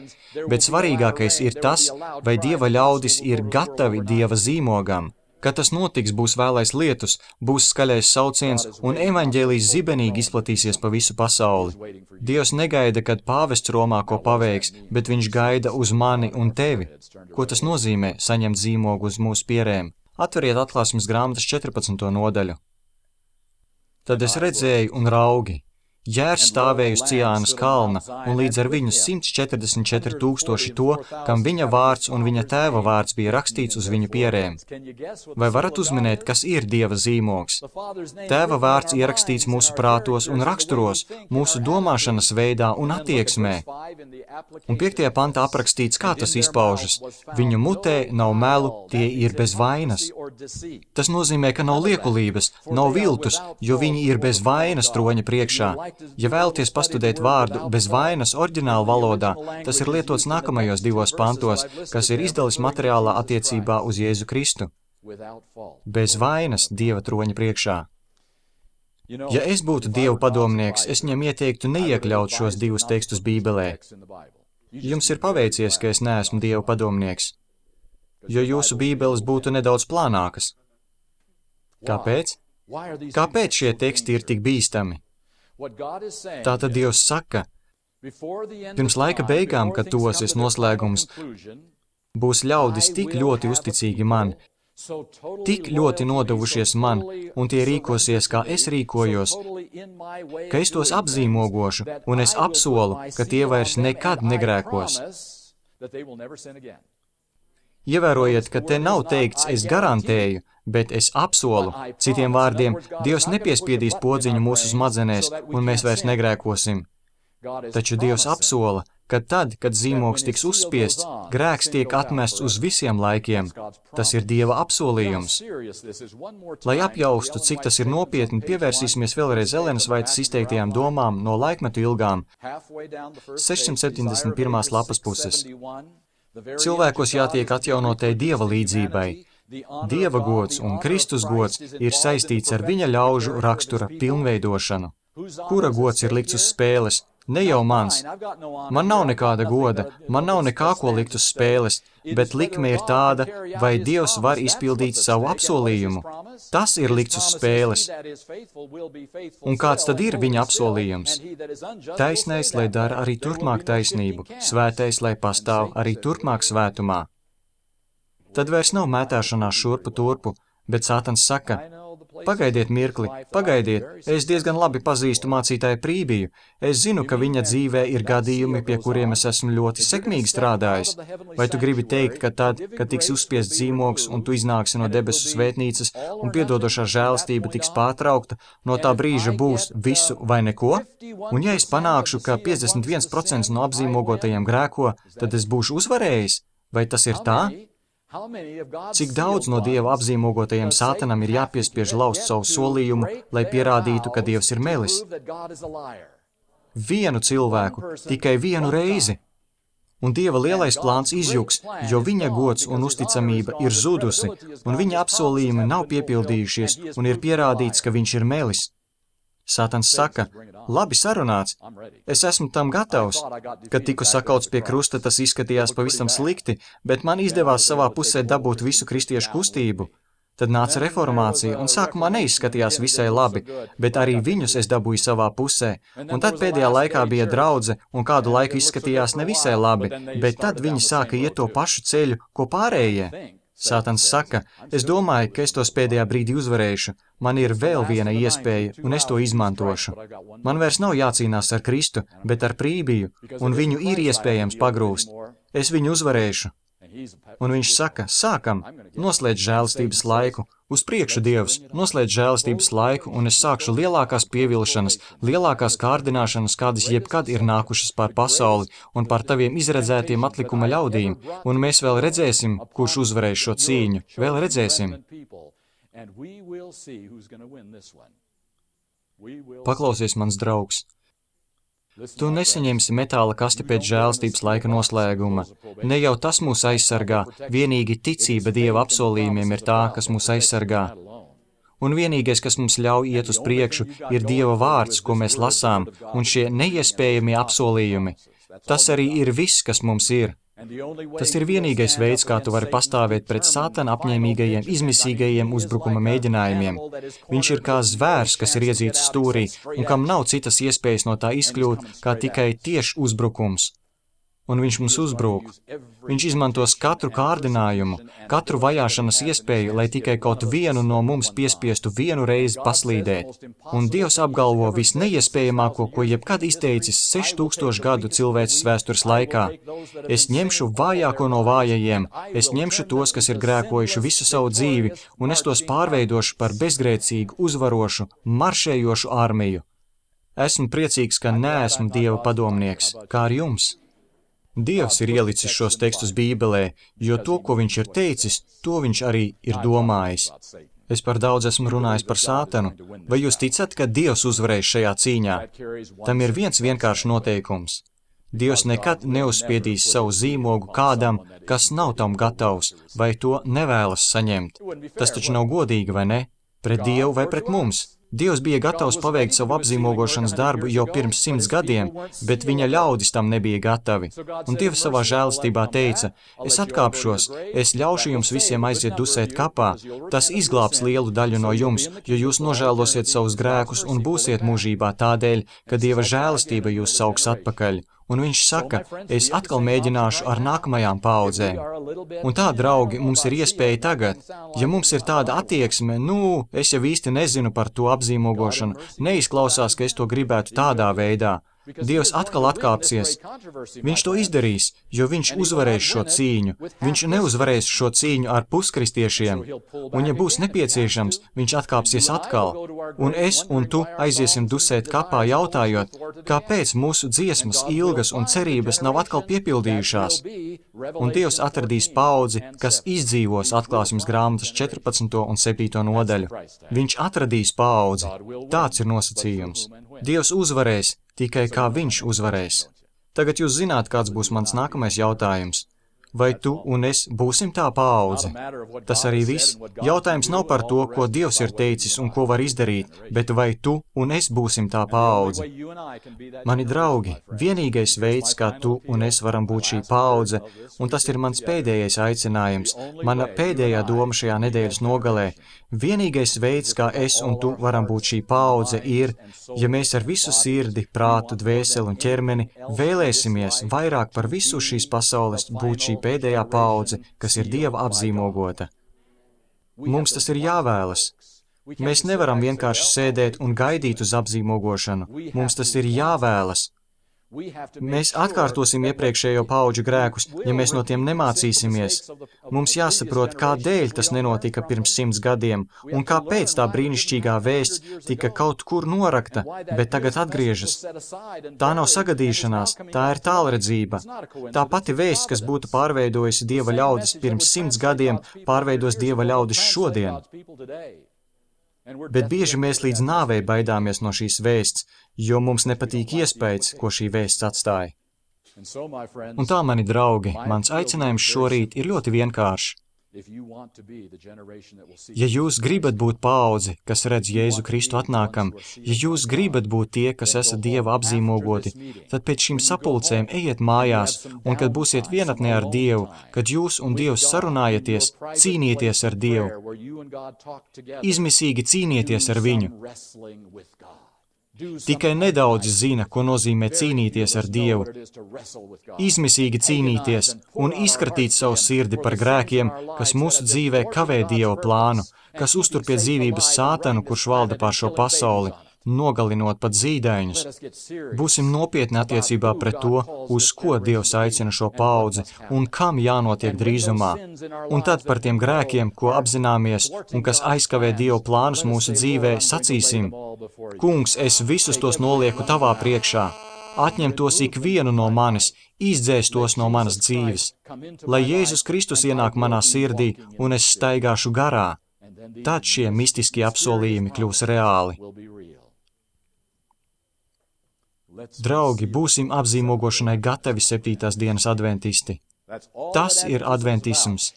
bet svarīgākais ir tas, vai Dieva ļaudis ir gatavi Dieva zīmogam. Kad tas notiks, būs vēlais lietus, būs skaļais sauciens un evaņģēlijs zibenīgi izplatīsies pa visu pasauli. Dievs negaida, kad pāvests Romā ko paveiks, bet viņš gaida uz mani un tevi. Ko tas nozīmē saņemt zīmogu uz mūsu pierēm? Atveriet Atklāsmes grāmatas 14. nodaļu. Tad es redzēju un raugi. Jērs stāvēja uz Ciānas kalna, un līdz ar viņu 144 000 to, kam viņa vārds un viņa tēva vārds bija rakstīts uz viņu pierēm. Vai varat uzminēt, kas ir Dieva zīmogs? Tēva vārds ierakstīts mūsu prātos un raksturos, mūsu domāšanas veidā un attieksmē. Un 5. pantā aprakstīts, kā tas izpaužas. Viņu mutē nav melu, tie ir bez vainas. Tas nozīmē, ka nav liekulības, nav viltus, jo viņi ir bez vainas troņa priekšā. Ja vēlaties pastudēt vārdu bez vainas oriģināla valodā, tas ir lietots nākamajos 2 pantos, kas ir izdalis materiālā attiecībā uz Jēzu Kristu. Bez vainas Dieva troņa priekšā. Ja es būtu Dieva padomnieks, es viņam ieteiktu neiekļaut šos 2 tekstus Bībelē. Jums ir paveicies, ka es neesmu Dieva padomnieks, jo jūsu Bībeles būtu nedaudz plānākas. Kāpēc? Kāpēc šie teksti ir tik bīstami? Tātad Dievs saka, pirms laika beigām, kad tuvosies noslēgums, būs ļaudis tik ļoti uzticīgi man, tik ļoti nodevušies man, un tie rīkosies, kā es rīkojos, ka es tos apzīmogošu, un es apsolu, ka tie vairs nekad negrēkos. Ievērojiet, ka te nav teikts, es garantēju, bet es apsolu. Citiem vārdiem, Dievs nepiespiedīs podziņu mūsu smadzenēs, un mēs vairs negrēkosim. Taču Dievs apsola, ka tad, kad zīmogs tiks uzspiests, grēks tiek atmests uz visiem laikiem. Tas ir Dieva apsolījums. Lai apjaustu, cik tas ir nopietni, pievērsīsimies vēlreiz Elenas Vaitas izteiktajām domām no laikmetu ilgām. 671. lapas puses. Cilvēkos jātiek atjaunotai Dieva līdzībai. Dieva gods un Kristus gods ir saistīts ar viņa ļaužu rakstura pilnveidošanu. Kura gods ir likts uz spēles? Ne jau mans. Man nav nekāda goda, man nav nekā, ko likt uz spēles, bet likme ir tāda, vai Dievs var izpildīt savu apsolījumu. Tas ir likts uz spēles. Un kāds tad ir viņa apsolījums? Taisnais, lai dara arī turpmāk taisnību, svētais, lai pastāv arī turpmāk svētumā. Tad vairs nav mētāšanās šurpu turpu, bet Sātans saka, pagaidiet mirkli, pagaidiet, es diezgan labi pazīstu mācītāju Prībiju, es zinu, ka viņa dzīvē ir gadījumi, pie kuriem es esmu ļoti sekmīgi strādājis. Vai tu gribi teikt, ka tad, kad tiks uzspiests zīmogs un tu iznāksi no debesu svētnīcas un piedodošā žēlastība tiks pārtraukta, no tā brīža būs visu vai neko? Un ja es panākšu, ka 51% no apzīmogotajiem grēko, tad es būšu uzvarējis? Vai tas ir tā? Cik daudz no Dieva apzīmogotajiem Sātanam ir jāpiespiež laust savu solījumu, lai pierādītu, ka Dievs ir melis? Vienu cilvēku, tikai vienu reizi. Un Dieva lielais plāns izjuks, jo viņa gods un uzticamība ir zudusi, un viņa apsolījumi nav piepildījušies, un ir pierādīts, ka viņš ir melis. Sātans saka, labi sarunāts, es esmu tam gatavs. Kad tiku sakauts pie krusta, tas izskatījās pavisam slikti, bet man izdevās savā pusē dabūt visu kristiešu kustību. Tad nāca reformācija, un sākumā neizskatījās visai labi, bet arī viņus es dabūju savā pusē. Un tad pēdējā laikā bija draudze, un kādu laiku izskatījās nevisai labi, bet tad viņi sāka iet to pašu ceļu, ko pārējie. Sātans saka, es domāju, ka es tos pēdējā brīdī uzvarēšu. Man ir vēl viena iespēja, un es to izmantošu. Man vairs nav jācīnās ar Kristu, bet ar Prībiju, un viņu ir iespējams pagrūst. Es viņu uzvarēšu. Un viņš saka, sākam, noslēdz žēlastības laiku. Uz priekšu, Dievs, noslēdz žēlastības laiku, un es sākšu lielākās pievilšanas, lielākās kārdināšanas, kādas jebkad ir nākušas pār pasauli un pār taviem izredzētiem atlikuma ļaudīm, un mēs vēl redzēsim, kurš uzvarēs šo cīņu, vēl redzēsim. Paklausies, mans draugs. Tu nesaņemsi metāla kasti pēc žēlstības laika noslēguma. Ne jau tas mūs aizsargā, vienīgi ticība Dieva apsolījumiem ir tā, kas mūs aizsargā. Un vienīgais, kas mums ļauj iet uz priekšu, ir Dieva vārds, ko mēs lasām, un šie neiespējamie apsolījumi. Tas arī ir viss, kas mums ir. Tas ir vienīgais veids, kā tu vari pastāvēt pret Sātana apņēmīgajiem, izmisīgajiem uzbrukuma mēģinājumiem. Viņš ir kā zvērs, kas ir iedzīts stūrī, un kam nav citas iespējas no tā izkļūt, kā tikai tieši uzbrukums. Un viņš mums uzbrūk. Viņš izmantos katru kārdinājumu, katru vajāšanas iespēju, lai tikai kaut vienu no mums piespiestu vienu reizi paslīdēt. Un Dievs apgalvo visneiespējamāko, ko jebkad izteicis 6000 gadu cilvēces vēstures laikā. Es ņemšu vājāko no vājajiem, es ņemšu tos, kas ir grēkojuši visu savu dzīvi, un es tos pārveidošu par bezgrēcīgu, uzvarošu, maršējošu armiju. Esmu priecīgs, ka neesmu Dieva padomnieks, kā ar jums. Dievs ir ielicis šos tekstus Bībelē, jo to, ko viņš ir teicis, to viņš arī ir domājis. Es par daudz esmu runājis par Sātanu. Vai jūs ticat, ka Dievs uzvarēs šajā cīņā? Tam ir viens vienkāršs noteikums. Dievs nekad neuzspiedīs savu zīmogu kādam, kas nav tam gatavs, vai to nevēlas saņemt. Tas taču nav godīgi, vai ne? Pret Dievu vai pret mums? Dievs bija gatavs paveikt savu apzīmogošanas darbu jau pirms 100 gadiem, bet viņa ļaudis tam nebija gatavi. Un Dievs savā žēlastībā teica, es atkāpšos, es ļaušu jums visiem aiziet dusēt kapā, tas izglābs lielu daļu no jums, jo jūs nožēlosiet savus grēkus un būsiet mūžībā tādēļ, ka Dieva žēlastība jūs sauks atpakaļ. Un viņš saka, es atkal mēģināšu ar nākamajām paaudzēm. Un tā, draugi, mums ir iespēja tagad. Ja mums ir tāda attieksme, es jau īsti nezinu par to apzīmogošanu, neizklausās, ka es to gribētu tādā veidā. Dievs atkal atkāpsies. Viņš to izdarīs, jo viņš uzvarēs šo cīņu. Viņš neuzvarēs šo cīņu ar puskristiešiem. Un ja būs nepieciešams, viņš atkāpsies atkal. Un es un tu aiziesim dusēt kapā jautājot, kāpēc mūsu dziesmas, ilgas un cerības nav atkal piepildījušās. Un Dievs atradīs paudzi, kas izdzīvos atklāsmes grāmatas 14. un 7. nodaļu. Viņš atradīs paudzi. Tāds ir nosacījums. Dievs uzvarēs, tikai kā viņš uzvarēs. Tagad jūs zināt, kāds būs mans nākamais jautājums. Vai tu un es būsim tā paudze? Tas arī viss. Jautājums nav par to, ko Dievs ir teicis un ko var izdarīt, bet vai tu un es būsim tā paudze? Mani draugi, vienīgais veids, kā tu un es varam būt šī paudze, un tas ir mans pēdējais aicinājums, mana pēdējā doma šajā nedēļas nogalē, vienīgais veids, kā es un tu varam būt šī paudze, ir, ja mēs ar visu sirdi, prātu, dvēseli un ķermeni vēlēsimies vairāk par visu šīs pasaules būt šī pēdējā paudze, kas ir Dieva apzīmogota. Mums tas ir jāvēlas. Mēs nevaram vienkārši sēdēt un gaidīt uz apzīmogošanu. Mums tas ir jāvēlas. Mēs atkārtosim iepriekšējo paudžu grēkus, ja mēs no tiem nemācīsimies. Mums jāsaprot, kādēļ tas nenotika pirms 100 gadiem, un kāpēc tā brīnišķīgā vēsts tika kaut kur norakta, bet tagad atgriežas. Tā nav sagadīšanās, tā ir tālredzība. Tā pati vēsts, kas būtu pārveidojusi Dieva ļaudis pirms 100 gadiem, pārveidos Dieva ļaudis šodien. Bet bieži mēs līdz nāvei baidāmies no šīs vēsts, jo mums nepatīk iespējas, ko šī vēsts atstāja. Un tā, mani draugi, mans aicinājums šorīt ir ļoti vienkāršs. Ja jūs gribat būt paudze, kas redz Jēzu Kristu atnākam, ja jūs gribat būt tie, kas esat Dieva apzīmogoti, tad pēc šīm sapulcēm ejiet mājās, un kad būsiet vienatnē ar Dievu, kad jūs un Dievs sarunājaties, cīnieties ar Dievu. Izmisīgi cīnieties ar viņu. Tikai nedaudz zina, ko nozīmē cīnīties ar Dievu. Izmisīgi cīnīties un izskatīt savu sirdi par grēkiem, kas mūsu dzīvē kavē Dieva plānu, kas uztur pie dzīvības Sātanu, kurš valda pār šo pasauli, nogalinot pat zīdaiņus. Būsim nopietni attiecībā pret to, uz ko Dievs aicina šo paudzi un kam jānotiek drīzumā. Un tad par tiem grēkiem, ko apzināmies un kas aizkavē Dieva plānus mūsu dzīvē, sacīsim: Kungs, es visus tos nolieku tavā priekšā. Atņem tos ikvienu no manis, izdzēs tos no manas dzīves. Lai Jēzus Kristus ienāk manā sirdī un es staigāšu garā, tad šie mistiskie apsolījumi kļūs reāli. Draugi, būsim apzīmogošanai gatavi 7. dienas adventisti. Tas ir adventisms.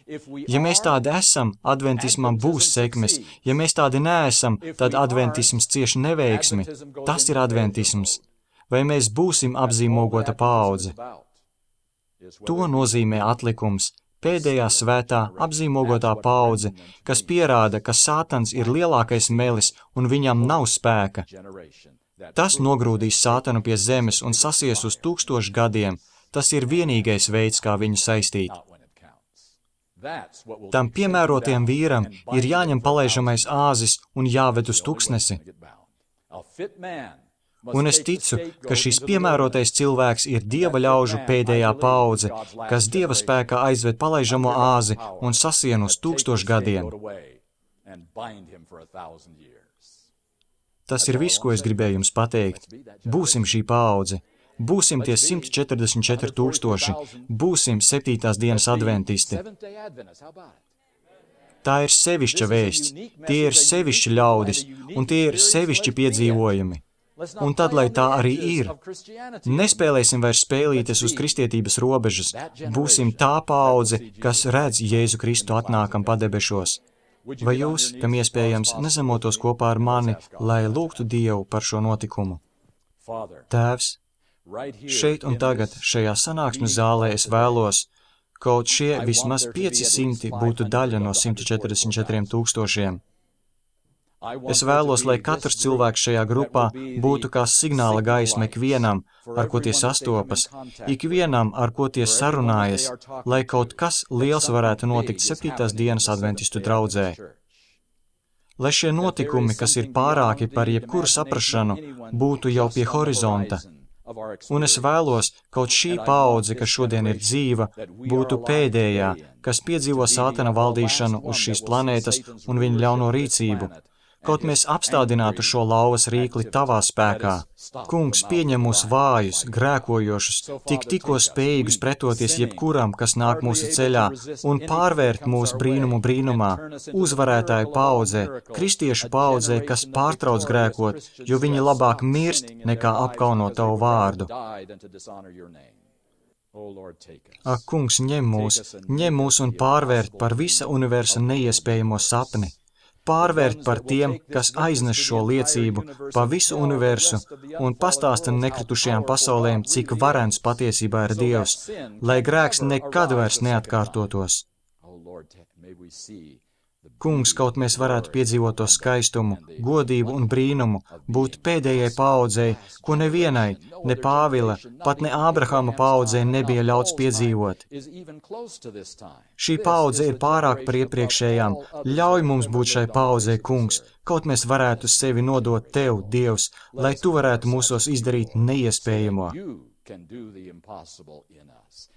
Ja mēs tādi esam, adventismam būs sekmes. Ja mēs tādi neesam, tad adventisms cieši neveiksmi. Tas ir adventisms. Vai mēs būsim apzīmogota paudze? To nozīmē atlikums. Pēdējā svētā apzīmogotā paudze, kas pierāda, ka Sātans ir lielākais melis un viņam nav spēka. Tas nogrūdīs Sātanu pie zemes un sasies uz 1000 gadiem. Tas ir vienīgais veids, kā viņu saistīt. Tam piemērotajam vīram ir jāņem palaižamais āzis un jāved uz tuksnesi. Un es ticu, ka šis piemērotais cilvēks ir Dieva ļaužu pēdējā paudze, kas Dieva spēkā aizved palaižamo āzi un sasien uz 1000 gadiem. Tas ir viss, ko es gribēju jums pateikt. Būsim šī paudze. Būsim tie 144 000, būsim 7. dienas adventisti. Tā ir sevišķa vēsts, tie ir sevišķi ļaudis, un tie ir sevišķi piedzīvojumi. Un tad, lai tā arī ir, nespēlēsim vairs spēlītes uz kristietības robežas, būsim tā paudze, kas redz Jēzu Kristu atnākam padebešos. Vai jūs, kam iespējams, nezemotos kopā ar mani, lai lūgtu Dievu par šo notikumu? Tēvs, šeit un tagad, šajā sanāksmes zālē es vēlos, kaut šie vismaz 500 būtu daļa no 144 000. Es vēlos, lai katrs cilvēks šajā grupā būtu kā signāla gaisma ikvienam, ar ko tie sastopas, ikvienam, ar ko tie sarunājas, lai kaut kas liels varētu notikt 7. dienas adventistu draudzē. Lai šie notikumi, kas ir pārāki par jebkuru saprašanu, būtu jau pie horizonta. Un es vēlos, kaut šī paudze, kas šodien ir dzīva, būtu pēdējā, kas piedzīvo Sātana valdīšanu uz šīs planētas un viņa ļauno rīcību. Kaut mēs apstādinātu šo lauvas rīkli tavā spēkā. Kungs, pieņem mūs vājus, grēkojošus, tikko spējīgus pretoties jebkuram, kas nāk mūsu ceļā, un pārvērt mūs brīnumu brīnumā, uzvarētāju paudzē, kristiešu paudzē, kas pārtrauc grēkot, jo viņi labāk mirst, nekā apkaunot tavu vārdu. Ak, Kungs, ņem mūs un pārvērt par visa universa neiespējamo sapni. Pārvērt par tiem, kas aiznes šo liecību pa visu universu un pastāsta nekritušajām pasaulēm, cik varens patiesībā ir Dievs, lai grēks nekad vairs neatkārtotos. Kungs, kaut mēs varētu piedzīvot to skaistumu, godību un brīnumu, būt pēdējai paaudzei, ko nevienai, ne Pāvila, pat ne Ābrahama paaudzei nebija ļauts piedzīvot. Šī paudze ir pārāk par iepriekšējām. Ļauj mums būt šai paaudzei, Kungs, kaut mēs varētu sevi nodot Tev, Dievs, lai Tu varētu mūsos izdarīt neiespējamo.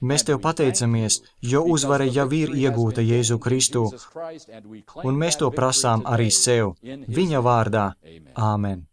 Mēs Tev pateicamies, jo uzvara jau ir iegūta Jēzu Kristu, un mēs to prasām arī sev, viņa vārdā. Āmen.